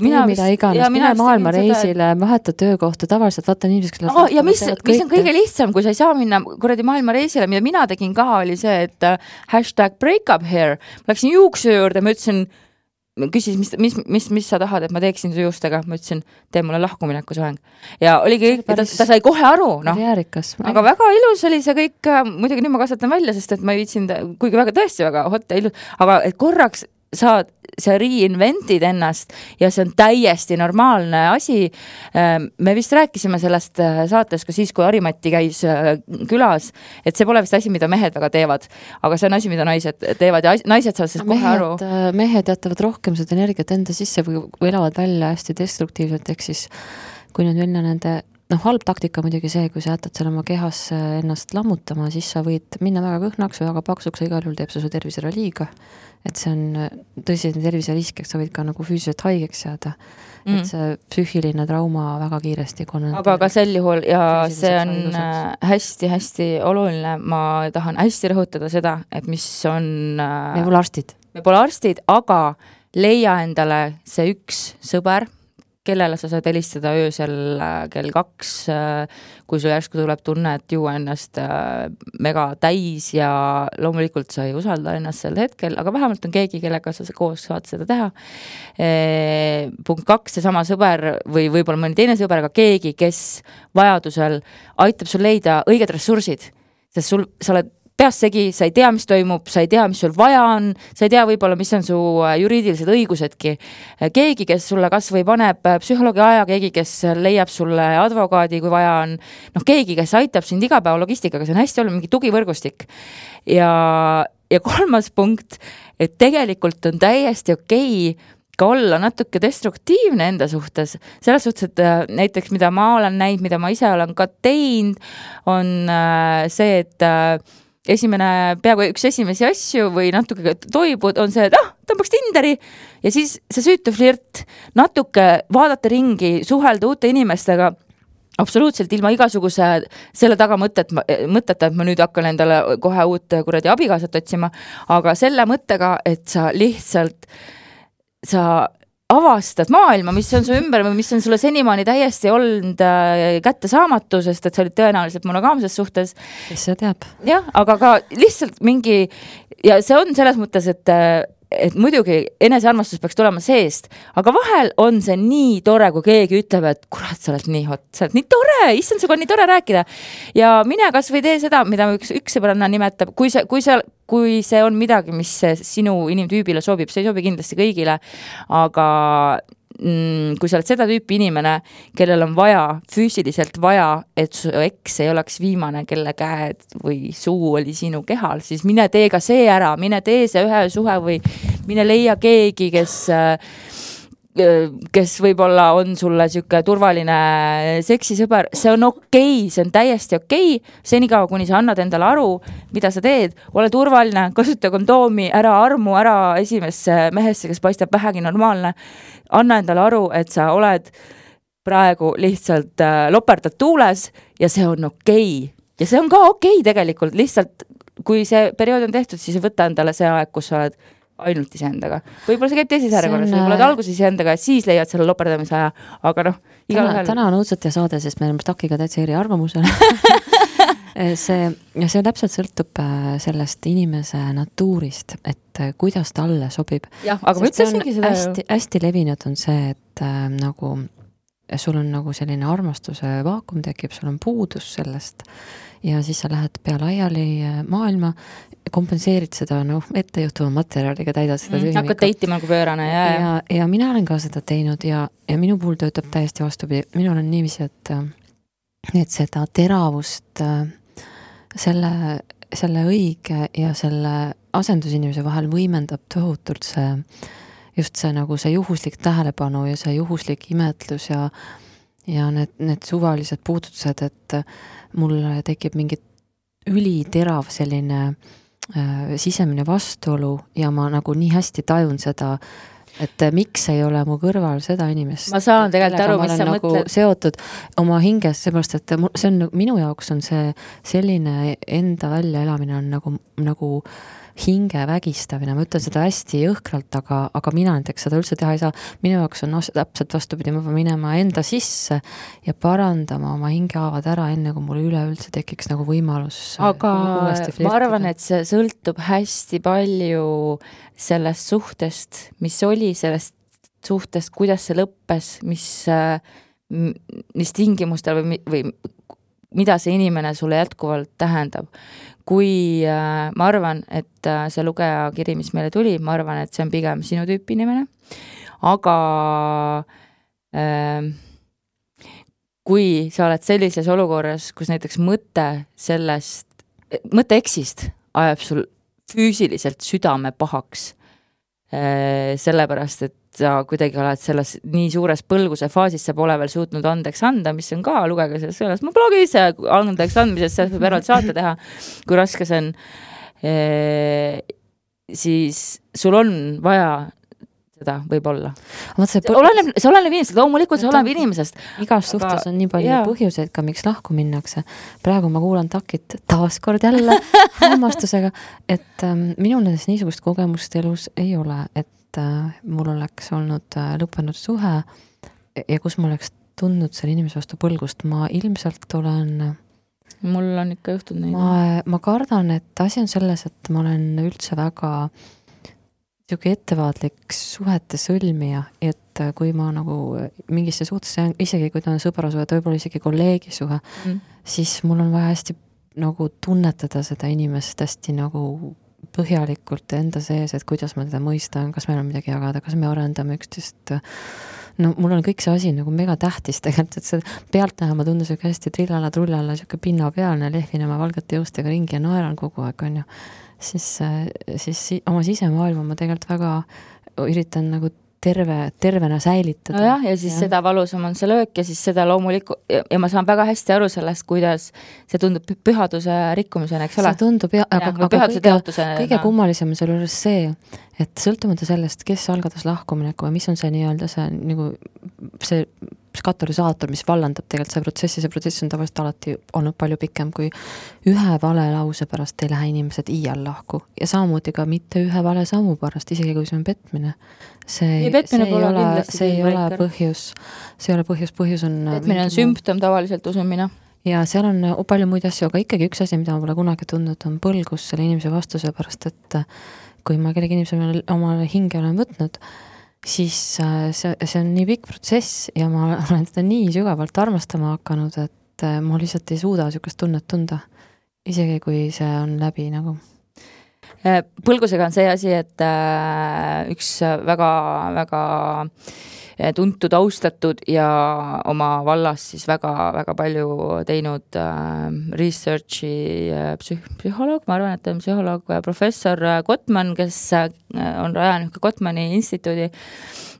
S3: mida iganes, mine maailma reisile, vaheta töökohta, tavaliselt vaata inimesed,
S2: ja mis on kõige lihtsam, kui sa ei saa minna kuradi maailma reisile, mida mina tegin ka, oli see, et #breakup here. Ma läksin juukse juurde, ma ütlesin, küsis, mis sa tahad, et ma teeksin su juustega, ma ütlesin, tee mulle lahkumineku soeng. Ja oligi, ta sai kohe aru, aga väga ilus oli see kõik, muidugi nüüd ma kasvatan välja, sest et ma ei viitsin, kuigi väga tõesti väga hot ja ilus, aga et korraks sa reinventid ennast ja see on täiesti normaalne asi. Me vist rääkisime sellest saates ka siis, kui Harimati käis külas, et see pole vist asi, mida mehed väga teevad, aga see on asi, mida naised teevad ja naised saavad siis kohe aru.
S3: Mehed jätavad rohkem seda energiat enda sisse või elavad välja hästi destruktiivselt, ehk siis kui nüüd minna nende halb taktika muidugi see, kui sa jätad seal oma kehas ennast lammutama, siis sa võid minna väga kõhnaks või väga paksuks ja igal juhul teeb su tervisele liiga. Et see on tõsine terviserisk, sa võid ka nagu füüsiliselt haigeks jääda. Et see psüühiline trauma väga kiiresti
S2: aga ka sel juhul ja see on hästi-hästi oluline, ma tahan hästi rõhutada seda, et mis on
S3: me pole arstid,
S2: aga leia endale see üks sõber, kellele sa saad helistada öösel kell 2, kui sul järsku tuleb tunne, et juua ennast mega täis ja loomulikult sa ei usalda ennast sel hetkel, aga vähemalt on keegi, kellega sa koos saad seda teha. Punkt 2, see sama sõber või võib-olla mõni teine sõber, aga keegi, kes vajadusel aitab sul leida õiged ressursid, sest sa oled peas segi, sa ei tea, mis toimub, sa ei tea, mis sul vaja on, sa ei tea võib-olla, mis on su juriidilised õigusedki. Keegi, kes sulle kas või paneb psühholoogi aja, keegi, kes leiab sulle advokaadi, kui vaja on, keegi, kes aitab sind igapäeva logistikaga, see on hästi olnud mingi tugivõrgustik. Ja 3. punkt, et tegelikult on täiesti okei ka olla natuke destruktiivne enda suhtes. Selles suhtes, et näiteks mida ma olen näinud, mida ma ise olen ka teinud, on see, et peaaegu üks esimesi asju või natuke toibud on see, et tõmbaks Tinderi ja siis see süütu flirt, natuke vaadata ringi, suhelda uute inimestega, absoluutselt ilma igasuguse selle taga mõtteta, et ma nüüd hakkan endale kohe uut kuradi abikaasat otsima, aga selle mõttega, et sa lihtsalt avastad maailma, mis on su ümber või mis on sulle senimaani täiesti olnud kättesaamatu, sest et sa olid tõenäoliselt monogaamses suhtes.
S3: Kes see teab?
S2: Jah, aga ka lihtsalt mingi, ja see on selles mõttes, et muidugi enesearmastus peaks tulema seest, aga vahel on see nii tore, kui keegi ütleb, et kurat, sa oled nii hot, sa oled nii tore, issand, suga on nii tore rääkida. Ja mine kas või tee seda, mida üks sõbranna nimetab, kui see on midagi, mis sinu inimtüübile sobib, see ei sobi kindlasti kõigile, aga kui sa oled seda tüüpi inimene, kellel on vaja, füüsiliselt vaja, et su eks ei oleks viimane, kelle käed või suu oli sinu kehal, siis mine tee ka see ära, mine tee see ühe suhe või mine leia keegi, kes võib-olla on sulle siuke turvaline seksisõber, see on okei, see on täiesti okei, senikaua, kuni sa annad endale aru, mida sa teed, ole turvaline, kasuta kondoomi, ära armu, ära esimesse mehesse, kes paistab vähegi normaalne, anna endale aru, et sa oled praegu lihtsalt loperdad tuules ja see on okei. Ja see on ka okei tegelikult, lihtsalt kui see periood on tehtud, siis võta endale see aeg, kus sa oled ainult iseendaga. Võib-olla see käib teises järjekorras, võib-olla alguses iseendaga ja siis leiad selle loperdamise aja, aga
S3: täna on õudselt ja saade, sest me oleme takiga täitsa eri arvamusel. see täpselt sõltub sellest inimese natuurist, et kuidas talle sobib.
S2: Jah, aga ma ütlesingi seda.
S3: Hästi levinud on see, et nagu sul on nagu selline armastuse vaakum tekib, sul on puudus sellest ja siis sa lähed pea laiali maailma, kompenseerid seda ettejuhtuva materjaliga, täidad seda tühimikku.
S2: Hakkad teitima nagu pöörane.
S3: Ja mina olen ka seda teinud ja minu puhul töötab täiesti vastupidi. Minul on niiviisi, et seda teravust selle õige ja selle asendusinimese vahel võimendab tohutult just see nagu see juhuslik tähelepanu ja see juhuslik imetlus ja need suvalised puudutused, et mul tekib mingi üliterav selline sisemine vastuolu ja ma nagu nii hästi tajun seda, et miks ei ole mu kõrval seda inimest.
S2: Ma saan tegelikult aru, mis sa
S3: nagu
S2: mõtled.
S3: Seotud oma hinges, seepärast, et see on minu jaoks on see selline enda väljaelamine on nagu hinge vägistamine, ma ütlen seda hästi jõhkralt, aga mina näiteks seda üldse teha ei saa. Minu jaoks on täpselt vastupidi, ma pean minema enda sisse ja parandama oma hingehaavad ära, enne kui mul üleüldse tekiks nagu võimalus.
S2: Aga ma arvan, et see sõltub hästi palju sellest suhtest, mis oli sellest suhtest, kuidas see lõppes, mis tingimustel või mida see inimene sulle jätkuvalt tähendab. Kui ma arvan, et see lugeja kiri, mis meile tuli, ma arvan, et see on pigem sinu tüüpi inimene, aga kui sa oled sellises olukorras, kus näiteks mõte eksist ajab sul füüsiliselt südame pahaks, sellepärast, et sa kuidagi oled selles nii suures põlguse faasis, sa pole veel suutnud andeks anda, mis on ka, lugege sellest mu blogis ja andeks andmisest, sellest võib eraldi saate teha, kui raske see on, siis sul on vaja seda võib-olla. See oleneb inimesest, loomulikult see oleneb inimesest.
S3: Igas suhtes on nii palju põhjuseid ka, miks lahku minnakse. Praegu ma kuulan Takit taaskord jälle hämmastusega, et minul niisugust kogemust elus ei ole, et mul oleks olnud lõppenud suhe ja kus ma oleks tundnud selle inimese vastu põlgust. Ma ilmselt olen...
S2: Mul on ikka juhtunud neid.
S3: Ma kardan, et asi on selles, et ma olen üldse väga ettevaatlik suhete sõlmija, et kui ma nagu mingisse suhtesse, isegi kui ta on sõbrasuhe, võib-olla isegi kolleegi suhe, siis mul on vaja hästi nagu tunnetada seda inimest hästi nagu põhjalikult enda sees, et kuidas ma teda mõistan, kas meil on midagi jagada, kas me arendame üksteist. Mul on kõik see asi nagu mega tähtis tegelikult, et see pealtnäha ma tundus hästi trillala, siuke pinnapealne, lehvin oma valgete jõustega ringi ja naeran kogu aeg, on ju. Siis oma sisemaailma ma tegelikult väga üritan nagu tervena säilitada.
S2: No ja siis seda valusam on see löök ja siis seda loomulikult, ja ma saan väga hästi aru sellest, kuidas see tundub pühaduse rikkumisena, eks ole?
S3: See tundub, aga kõige kummalisem on selle juures see, et sõltumata sellest, kes algatas lahkumineku ja mis on see nii-öelda see katalüsaator, mis vallandab tegelikult see protsess on tavaliselt alati olnud palju pikem kui ühe vale lause pärast ei lähe inimesed iial lahku ja samamoodi ka mitte ühe vale sammu pärast, isegi kui see on petmine. See ei ole põhjus on...
S2: Petmine on sümptom tavaliselt, usun mina.
S3: Ja seal on palju muid asju, aga ikkagi üks asi, mida ma pole kunagi tundnud, on põlgus selle inimese vastuse pärast, et kui ma kellegi inimese omale hinge olen võtnud, siis see on nii pikk protsess ja ma olen teda nii sügavalt armastama hakanud, et ma lihtsalt ei suuda niisugust tunnet tunda, isegi kui see on läbi nagu.
S2: Põlgusega on see asi, et üks väga, väga tuntud, austatud ja oma vallas siis väga, väga palju teinud researchi psühholoog, ma arvan, et on psühholoog, professor Gottman, kes on rajanud Gottmani instituudi,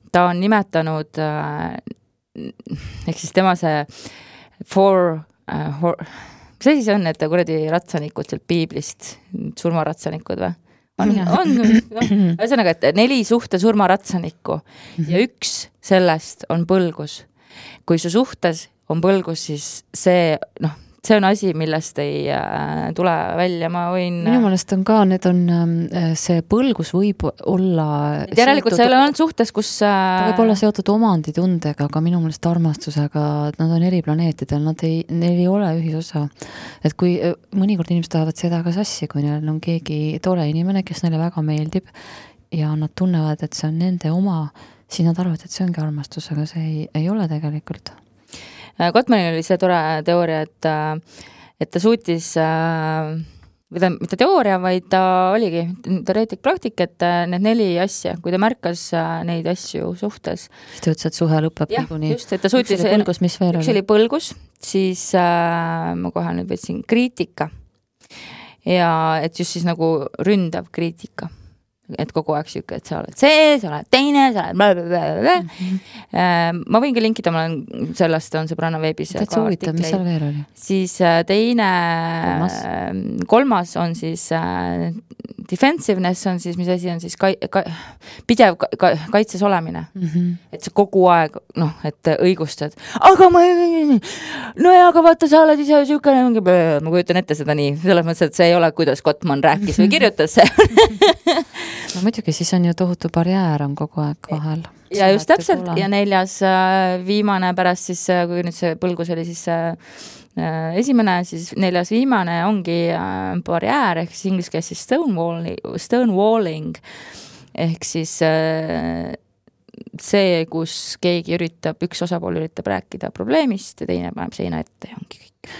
S2: ta on nimetanud ehk siis tema see mis asi see on, et kuradi ratsanikud sealt piiblist, surmaratsanikud või? Ühesõnaga, et 4 suhte surmaratsanikku ja üks sellest on põlgus. Kui su suhtes on põlgus, siis see on asi, millest ei tule välja, ma võin...
S3: Minu meelest on ka, see põlgus võib olla...
S2: Järelikult see ei ole olnud suhtes, kus...
S3: Ta võib olla seotud omanditundega, aga minu meelest armastusega, nad on eri planeetidel, neil ei ole ühisosa. Et kui mõnikord inimesed tahavad seda ka sassi, kui neil on keegi tore inimene, kes neile väga meeldib ja nad tunnevad, et see on nende oma, siis nad arvavad, et see ongi armastus, aga see ei ole tegelikult.
S2: Gottmanil oli see tore teooria, et ta suutis, mitte teooria, vaid ta oligi teoreetik praktik, et need 4 asja, kui ta märkas neid asju suhtes.
S3: Siis ta ütles, et suhe lõpeb niikuinii.
S2: Just, et ta suutis, üks oli põlgus, siis ma kohe nüüd võtsin kriitika ja et just siis nagu ründav kriitika. Et kogu aeg siuke, et sa oled see, sa oled teine, sa oled blablabla. Ma võin ka linkida, ma olen sellest on Sõbranna veebis.
S3: Täitsa huvitav, mis seal veel oli?
S2: Siis teine, kolmas on siis defensiveness on siis, mis asi on siis pidev kaitses olemine. Et sa kogu aeg, et õigustad. Aga aga vaata, sa oled ise siuke, ma kujutan ette seda nii, selles mõttes, et see ei ole, kuidas Gottman rääkis või kirjutas see.
S3: No muidugi, siis on ju tohutu barjäär on kogu aeg vahel.
S2: Ja just täpselt, ja 4. viimane pärast siis, kui nüüd see põlgus oli siis esimene, siis 4. viimane ongi barjäär, ehk siis inglise keeles siis stonewalling, ehk siis see, kus keegi üks osapool üritab rääkida probleemist ja teine paneb seina ette ja ongi kõik.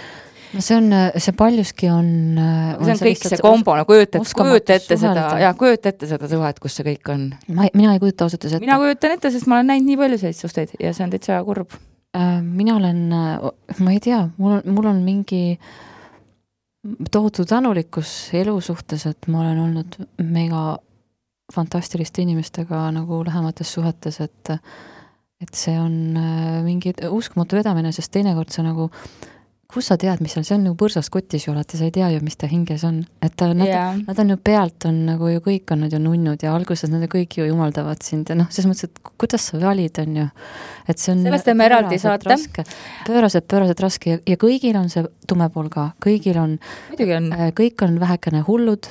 S3: No see paljuski on...
S2: See on kõik see kombo, kujuta ette seda suhet, kus see kõik on.
S3: Mina ei kujuta ausalt ette.
S2: Mina kujutan ette, sest ma olen näinud nii palju selliseid suhteid ja see on täitsa kurb.
S3: Mina olen, ma ei tea, mul on mingi tohutu tänulikkus elu suhtes, et ma olen olnud mega fantastiliste inimestega nagu lähemates suhetes, et see on mingi uskumatu vedamine, sest teinekord see nagu kus sa tead, mis seal, see on nagu põrsast kotis ju alati, sa ei tea ju, mis ta hinges on. Et nad on ju pealt on nagu ju kõik on nad ju nunnud ja alguses nad kõik ju jumaldavad sind ja selles mõttes, et kuidas sa valid on ju. Et see on
S2: sellest teeme eraldi saate.
S3: Pööraselt raske ja kõigil on see tume pool ka. Kõigil on, kõik on vähekene hullud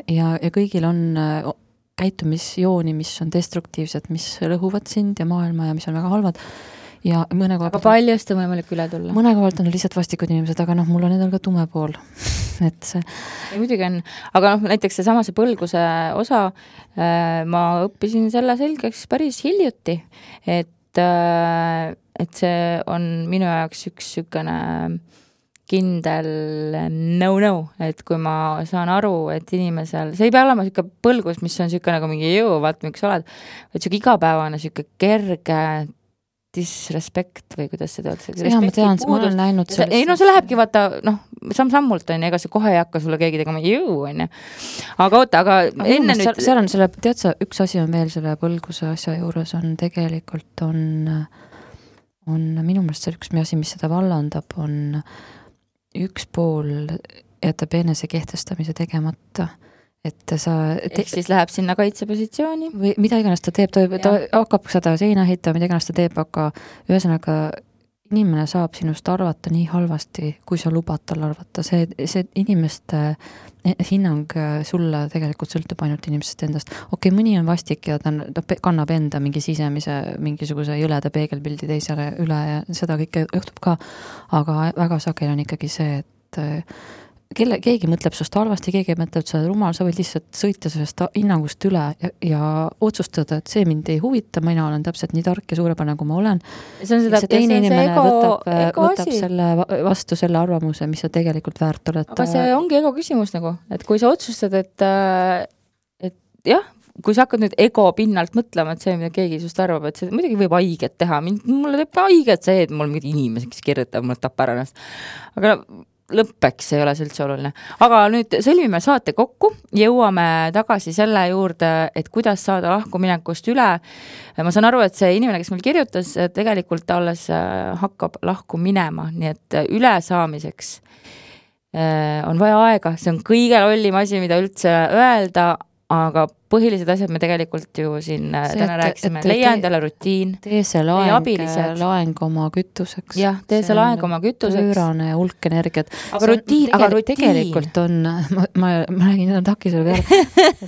S3: ja kõigil on käitumisjooni, mis on destruktiivsed, mis lõhuvad sind ja maailma ja mis on väga halvad. Ja
S2: aga paljust on võimalik üle tulla.
S3: Mõne kohalt on lihtsalt vastikud inimesed, aga mul on endal ka tume pool. Et see...
S2: Ja muidugi on, aga näiteks see põlguse osa, ma õppisin selle selgeks päris hiljuti, et see on minu jaoks üks sükene kindel no, et kui ma saan aru, et inimesel, see ei pea olema siuke põlgus, mis on siuke nagu mingi vaat miks oled, et siuke igapäevane siuke kerge disrespekt või kuidas seda öeldakse?
S3: Ja ma tean, ma olen näinud
S2: sellest. Ei, see lähebki vaata, samm-sammult on, ega see kohe ei hakka sulle keegi tegema on. Aga oota, aga enne nüüd...
S3: Seal on selle, tead sa, üks asi on veel selle põlguse asja juures on tegelikult on minu meelest see üks asi, mis seda vallandab, on üks pool jätab enese kehtestamise tegemata. Et sa...
S2: Ehk siis läheb sinna kaitsepositsiooni?
S3: Või mida iganes ta teeb, ta hakkab seda seina ehita, mida iganes ta teeb, aga ühesõnaga inimene saab sinust arvata nii halvasti, kui sa lubad tal arvata. See inimeste hinnang sulle tegelikult sõltub ainult inimesest endast. Okei, mõni on vastik ja ta kannab enda mingi sisemise mingisuguse jõleda peegelpildi teisele üle ja seda kõike juhtub ka, aga väga sageli on ikkagi see, et keegi mõtleb sust halvasti, keegi mõtleb seda rumal, sa võid lihtsalt sõita sellest hinnangust üle ja otsustada, et see mind ei huvita, mina olen täpselt nii tark ja suurepärane, kui ma olen. See teine inimene võtab selle vastu selle arvamuse, mis sa tegelikult väärt oled.
S2: Aga see ongi ego küsimus nagu, et kui sa otsustad, et jah, kui sa hakkad nüüd ego pinnalt mõtlema, et see, mida keegi sust arvab, et see muidugi võib haiget teha. Mulle teeb haiget see, et mul mingid inimesed, kes kirjutab, mulle tapar ennast. Aga lõppeks ei ole see üldse oluline. Aga nüüd sõlmime saate kokku, jõuame tagasi selle juurde, et kuidas saada lahkuminekust üle. Ma saan aru, et see inimene, kes meil kirjutas, tegelikult alles hakkab lahku minema, nii et üle saamiseks on vaja aega. See on kõige lollim asi, mida üldse öelda, aga põhilised asjad me tegelikult ju siin täna rääkisime. Leia endale rutiin.
S3: Tee see laeng oma kütuseks.
S2: Jah, tee see laeng oma kütuseks.
S3: Pöörane hulk energiat.
S2: Aga rutiin.
S3: Tegelikult on, ma räägin seda takisele peale,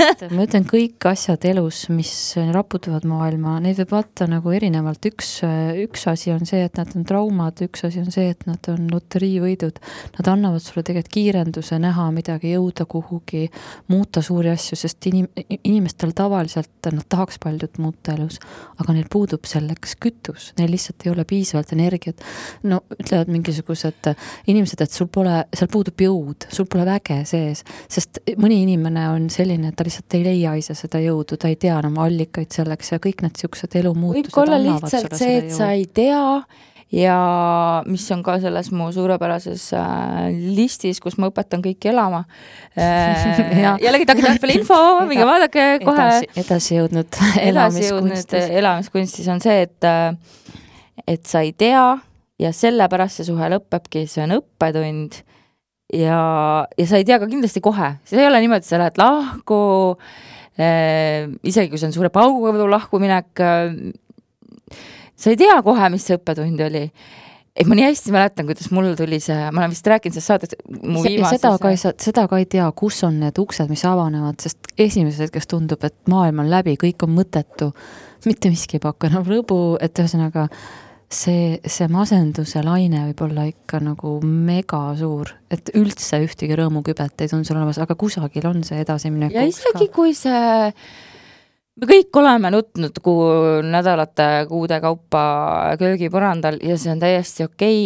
S3: et ma ütlen kõik asjad elus, mis raputavad maailma, neid võib vaata nagu erinevalt. Üks asi on see, et nad on traumad, üks asi on see, et nad on loteriivõidud. Nad annavad sulle tegelikult kiirenduse näha midagi, jõuda kuhugi, muuta suuri asju, sest inimestel tavaliselt nad tahaks paljud muuta elus, aga neil puudub selleks kütus, neil lihtsalt ei ole piisavalt energiat. No ütlevad mingisugused inimesed, et seal puudub jõud, sul pole väge sees, sest mõni inimene on selline, et ta lihtsalt ei leia ise seda jõudu, ta ei tea enam allikaid selleks ja kõik need siuksed elumuutused
S2: võib olla lihtsalt see, et sa ei tea ja mis on ka selles mu suurepärases listis, kus ma õpetan kõiki elama. Jällegi takitarpele info, minge vaadake kohe.
S3: Edasi jõudnud
S2: elamiskunstis on see, et sa ei tea ja sellepärast see suhe lõpebki, see on õppetund ja sa ei tea ka kindlasti kohe. See ei ole niimoodi, et sa lähed lahku, isegi kui see on suure pauguga lahkuminek, sa ei tea kohe, mis see õppetund oli. Et ma nii hästi mäletan, kuidas mul tuli see, ma olen vist rääkinud sellest saadet mu viimases.
S3: Seda ka ei tea, kus on need uksed, mis avanevad, sest esimeses hetkes tundub, et maailm on läbi, kõik on mõttetu, mitte miski ei pakka enam rõbu, et ühesõnaga see masenduse laine võib olla ikka nagu mega suur, et üldse ühtegi rõõmukübet ei tundu sul olemas, aga kusagil on see edasiminek.
S2: Ja isegi kui see me kõik oleme nutnud nädalate, kuude kaupa köögipõrandal ja see on täiesti okei.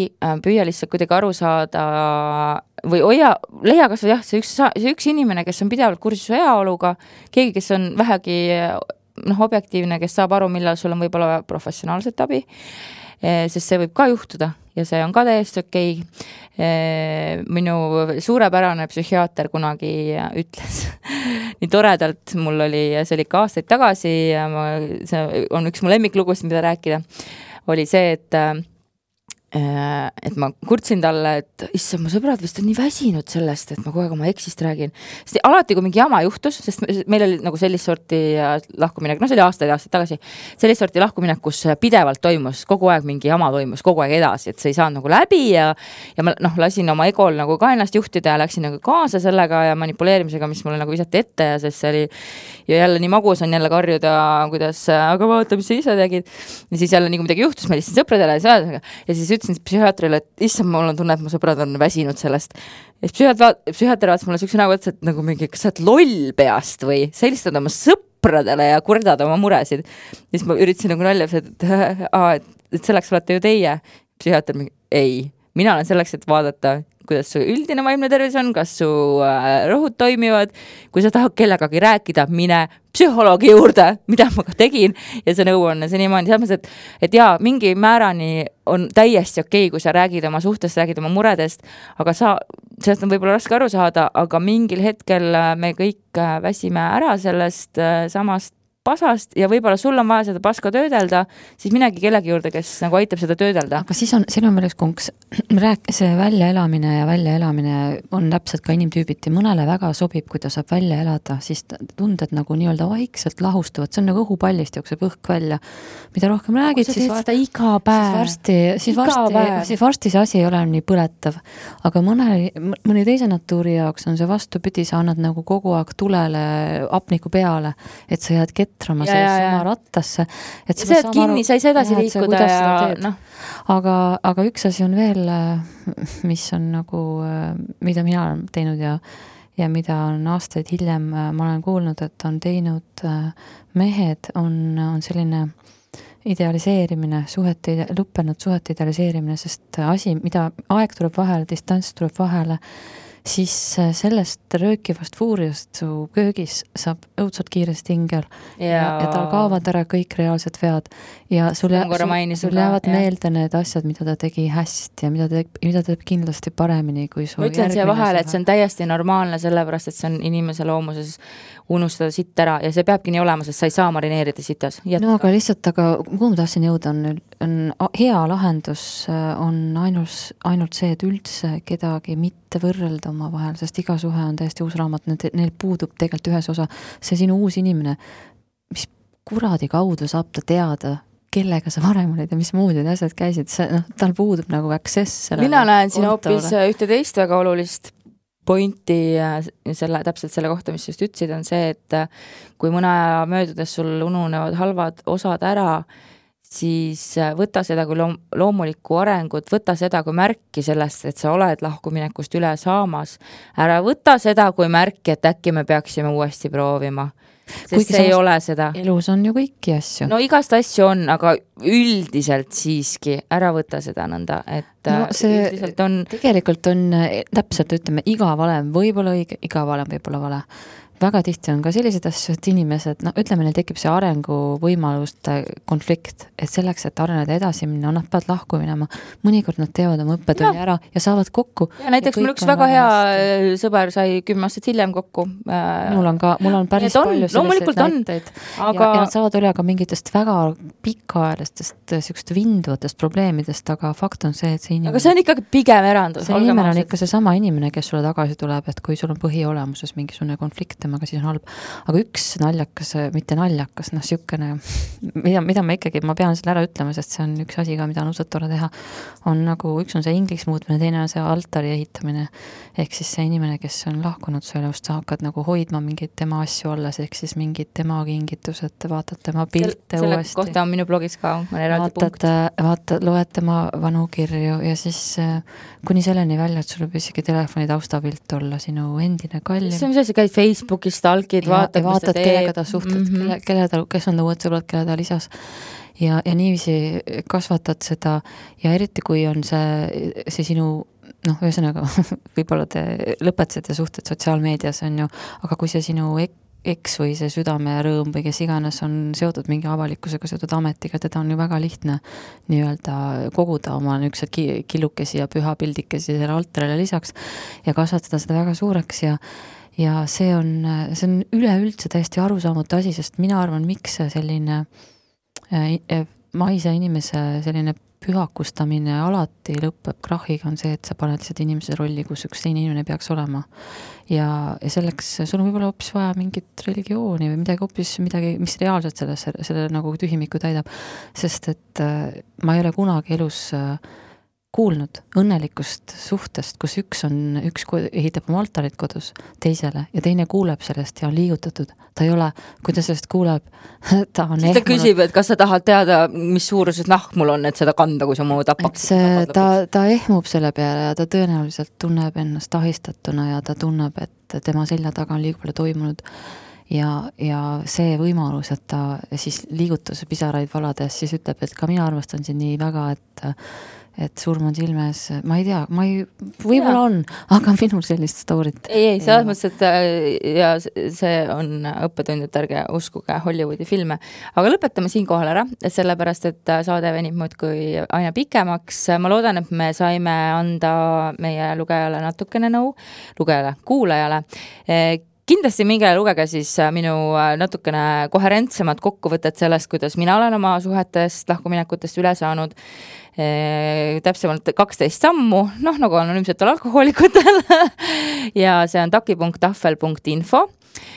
S2: Püüa lihtsalt kuidagi aru saada või leia kas või see üks inimene, kes on pidevalt kursus heaoluga, keegi, kes on vähegi objektiivne, kes saab aru, millal sul on võib-olla professionaalset abi, sest see võib ka juhtuda ja see on ka täiesti okei. Minu suurepärane psühhiaater kunagi ütles nii toredalt, mul oli, see oli ka aastaid tagasi, see on üks mu lemmiklugust, mida rääkida, oli see, et ma kurtsin talle, et issand, mu sõbrad vist on nii väsinud sellest, et ma kogu aeg oma eksist räägin. Sest alati, kui mingi jama juhtus, sest meil oli nagu sellist sorti lahkuminek, see oli aastaid tagasi, sellist sorti lahkuminek, kus pidevalt toimus, kogu aeg mingi jama toimus, kogu aeg edasi, et see ei saanud nagu läbi ja ma lasin oma egol nagu ka ennast juhtida ja läksin nagu kaasa sellega ja manipuleerimisega, mis mulle nagu visati ette ja sest see oli ja jälle nii magus on jälle karjuda, kuidas, aga vaata, mis sa ise tegid. Ja siis jälle nii kui midagi juhtus, ma lihtsalt sõpradele ja siis ütlesin psühhiaatrile, et issand, mul on tunne, et mu sõbrad on väsinud sellest. Ja psühhiaater vaatas mulle sükse nägu, et nagu mingi, kas sa oled loll peast või sa helistad oma sõpradele ja kurdad oma muresid. Ja siis ma üritasin nagu nalja, et selleks olete ju teie. Psühhiaater mingi, ei, mina olen selleks, et vaadata, kuidas su üldine vaimne tervis on, kas su rohud toimivad, kui sa tahad kellegagi rääkida, mine psühholoogi juurde, mida ma ka tegin ja see nõu on senimaani selles, et jaa, mingi määrani on täiesti okei, kui sa räägid oma suhtest, räägid oma muredest, aga sellest on võib-olla raske aru saada, aga mingil hetkel me kõik väsime ära sellest samast pasast ja võib-olla sul on vaja seda paska töödelda, siis minegi kellegi juurde, kes nagu aitab seda töödelda.
S3: Aga siis on veel üks konks. See väljaelamine on täpselt ka inimtüübiti. Mõnele väga sobib, kui ta saab välja elada, siis tunded nagu nii-öelda vaikselt lahustuvad. See on nagu õhupallist jookseb õhk välja. Mida rohkem räägid, siis varsti see asi ei ole nii põletav. Aga mõni teise natuuri jaoks on see vastupidi, sa annad nagu kogu aeg tulele apniku peale, et sa jääd ketrama sama rattasse. Et
S2: sa oled kinni, sa ei saa edasi liikuda ja
S3: aga üks asi on veel, mis on nagu, mida mina olen teinud ja mida on aastaid hiljem ma olen kuulnud, et on teinud mehed, on selline idealiseerimine, lõppenud suhete idealiseerimine, sest asi, mida aeg tuleb vahele, distants tuleb vahele, siis sellest röökivast fuuriast su köögis saab õudselt kiiresti ingel ja tal kaovad ära kõik reaalsed vead ja sul jäävad meelde need asjad, mida ta tegi hästi ja mida ta teeb kindlasti paremini kui su
S2: ma ütlen siia vahele, et see on täiesti normaalne, sellepärast, et see on inimese loomuses unustada sitt ära ja see peabki nii olema, sest sa ei saa marineerida sitas.
S3: No aga lihtsalt, kuhu ma tahtsin jõuda on hea lahendus on ainult see, et üldse kedagi mitte võrrelda oma vahel, sest iga suhe on täiesti uus raamat, neil puudub tegelikult ühes osa. See sinu uus inimene, mis kuradi kaudu saab ta teada, kellega sa varem olid ja mis muud need asjad käisid, tal puudub nagu access.
S2: Mina näen siin hoopis ühte teist väga olulist pointi täpselt selle kohta, mis just ütlesid, on see, et kui mõne aja möödudes sul ununevad halvad osad ära, siis võta seda kui loomulikku arengut, võta seda kui märki sellest, et sa oled lahkuminekust üle saamas. Ära võta seda kui märki, et äkki me peaksime uuesti proovima. sest see ei ole seda.
S3: Elus on ju kõiki asju.
S2: No igast asju on, aga üldiselt siiski ära võta seda nõnda, et üldiselt on...
S3: Tegelikult on täpselt, ütleme, iga valem võib-olla õige, iga valem võib-olla vale. Väga tihti on ka sellised asju, et inimesed, ütleme, neil tekib see arenguvõimaluste konflikt, et selleks, et areneda edasi minna, nad peavad lahku minema. Mõnikord nad teevad oma õppetunni ära ja saavad kokku.
S2: Ja näiteks mul üks väga hea sõber sai 10 aastat hiljem kokku.
S3: Mul on päris palju selliseid näiteid.
S2: Aga...
S3: Ja nad saavad üle ka mingitest väga pikaajalistest siukest vinduvatest probleemidest, aga fakt on see, et see inimene...
S2: Aga see on ikkagi pigem erandus.
S3: See inimene on ikka see sama inimene, kes sulle tagasi tuleb, et kui sul on põhiolemuses mingisugune konflikt, aga siis on halb. Aga üks naljakas, mitte naljakas, siukene, mida ma pean selle ära ütlema, sest see on üks asi ka, mida on usut tore teha, on nagu, üks on see ingliks muutmine, teine on see altari ehitamine, ehk siis see inimene, kes on lahkunud su elust, sa hakkad nagu hoidma mingeid tema asju alles, ehk siis mingid tema kingitused, vaatad tema pilte
S2: selle
S3: uuesti.
S2: Kohta on minu blogis ka, on eraldi punkt.
S3: Loed tema vanu kirju ja siis kuni selleni välja, et sul võib isegi telefoni taustapilt olla sinu endine kallim.
S2: See on mis asi, käid Facebookis, stalkid, vaatad,
S3: kellega ta suhtled, kes on ta uued sõbrad, kelle ta lisas. Ja niiviisi kasvatad seda ja eriti kui on see sinu, ühesõnaga, võib-olla te lõpetasite suhted sotsiaalmeedias, on ju, aga kui see sinu eks või see südame rõõm või kes iganes on seotud mingi avalikkusega, seotud ametiga, teda on ju väga lihtne nii-öelda koguda oma niisugused killukesi ja pühapildikesi selle altarile lisaks ja kasvatada seda väga suureks ja see on üleüldse täiesti arusaamatu asi, sest mina arvan, miks selline maise inimese selline pühakustamine alati lõpeb krahiga on see, et sa paned lihtsalt inimese rolli, kus üks teine inimene peaks olema. Ja selleks sul on võib-olla hoopis vaja mingit religiooni või midagi, mis reaalselt selle nagu tühimiku täidab. Sest et ma ei ole kunagi elus kuulnud õnnelikust suhtest, kus üks ehitab oma altarit kodus teisele ja teine kuuleb sellest ja on liigutatud. Ta ei ole, kui ta sellest kuuleb, ta on
S2: ehmunud. Ta küsib, et kas sa tahad teada, mis suuruses nahk mul on, et seda kanda, kui sa mu tapaks.
S3: Ta ehmub selle peale ja ta tõenäoliselt tunneb ennast ahistatuna ja ta tunneb, et tema selja taga on liiga palju toimunud. Ja see võimalus, et ta siis liigutus pisaraid valades, siis ütleb, et ka mina armastan sind nii väga, et surm on silmes, ma ei tea, võib-olla on, aga minul sellist storyt.
S2: Ei, selles mõttes, et ja see on õppetund, et ärge uskuge Hollywoodi filme. Aga lõpetame siinkohal ära, sellepärast, et saade venib muudkui aina pikemaks. Ma loodan, et me saime anda meie lugejale natukene nõu, kuulajale. Kindlasti minge lugege siis minu natukene koherentsemad kokkuvõtted sellest, kuidas mina olen oma suhetest, lahkuminekutest üle saanud. Täpsemalt 12 sammu, nagu anonüümsetel alkohoolikutel ja see on taki.tahvel.info.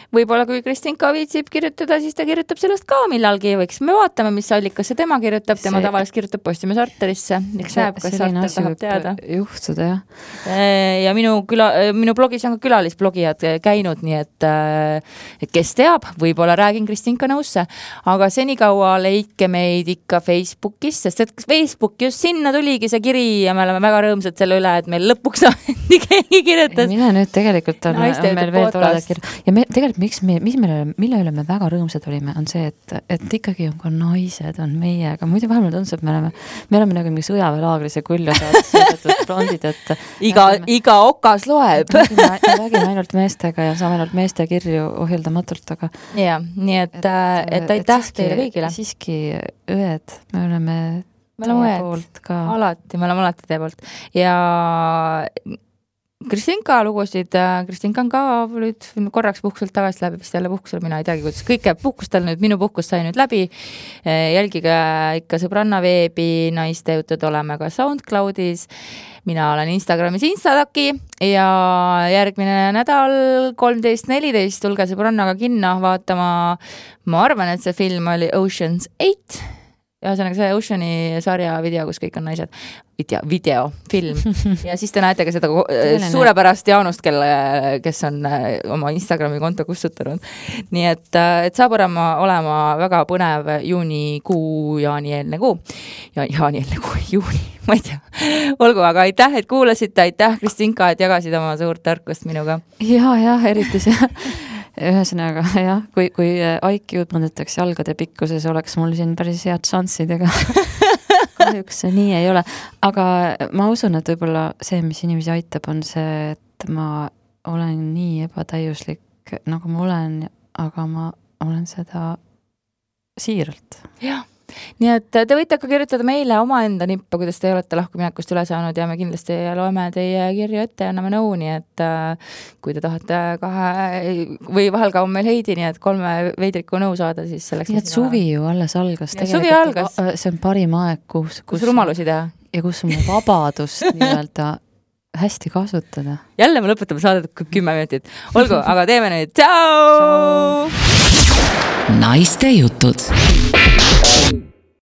S2: Võib-olla kui Kristinka viitsib kirjutada, siis ta kirjutab sellest ka millalgi, me vaatame, mis allikasse tema kirjutab, tema tavaliselt kirjutab Postimees Arterisse, eks näeb, kas Arter tahab teada.
S3: Juhtuda, jah.
S2: Ja minu blogis on ka külalisblogijad käinud, nii et kes teab, võib-olla räägin Kristinka nõusse, aga senikaua leidke meid ikka Facebookis, sest et Facebook just sinna tuligi see kiri ja me oleme väga rõõmsad selle üle, et meil lõpuks keegi kirjutas.
S3: Mine nüüd tegelikult on meil veel toleda kirja. Ja me tegelikult mille üle me väga rõõmsad olime, on see, et ikkagi on ka naised on meiega. Muidu vähemalt on see, et me oleme nagu mingi sõjaväelaagris ja külja saadud blondid, et
S2: iga okas loeb.
S3: Me räägime ainult meestega ja saame ainult meeste kirju ohjeldamatult, aga
S2: ja, nii et aitäh teile kõigile.
S3: Siiski õed, me oleme
S2: õed ka. Me oleme alati teie poolt. Ja Kristinka lugusid, Kristinka on ka nüüd korraks puhkuselt tagasi läbi, vist jälle puhkusel, mina ei teagi, kuidas kõik jääb puhkustel nüüd, minu puhkus sai nüüd läbi. Jälgige ikka Sõbranna veebi, naiste jutud oleme ka SoundCloudis. Mina olen Instagramis Instataki ja järgmine nädal 13.14 tulge Sõbrannaga kinno vaatama. Ma arvan, et see film oli Ocean's 8. Ja see Oceani sarja video, kus kõik on naised. Film. Ja siis te näete ka seda suurepärast Jaanust, kes on oma Instagrami konto kustutanud. Nii et saab olema väga põnev juunikuu, jaani-eelne kuu. Juuni, ma ei tea. Olgu, aga aitäh, et kuulasite, aitäh Kristinka, et jagasid oma suurt tarkust minuga.
S3: Ja, eriti see. ühesõnaga jah, kui IQ-d mõõdetakse jalgade pikkuses, oleks mul siin päris head šanssid, ega kahjuks see nii ei ole. Aga ma usun, et võib-olla see, mis inimesi aitab, on see, et ma olen nii ebatäiuslik, nagu ma olen, aga ma olen seda siiralt.
S2: Jah. Nii et te võite ka kirjutada meile omaenda nippa, kuidas te olete lahkuminekust üle saanud ja me kindlasti loeme teie kirju ette ja anname nõu, nii et kui te tahate või vahel ka on meil Heidi, nii et 3 veidriku nõu saada, siis selleks...
S3: Nii et suvi ju alles algas.
S2: Suvi algas.
S3: See on parim aeg, kus
S2: rumalusi teha. Ja
S3: kus on vabadust nii-öelda hästi kasutada.
S2: Jälle me lõpetame saadet 10 minutit. Olgu, aga teeme nüüd. Tšau!
S1: Naiste jutud.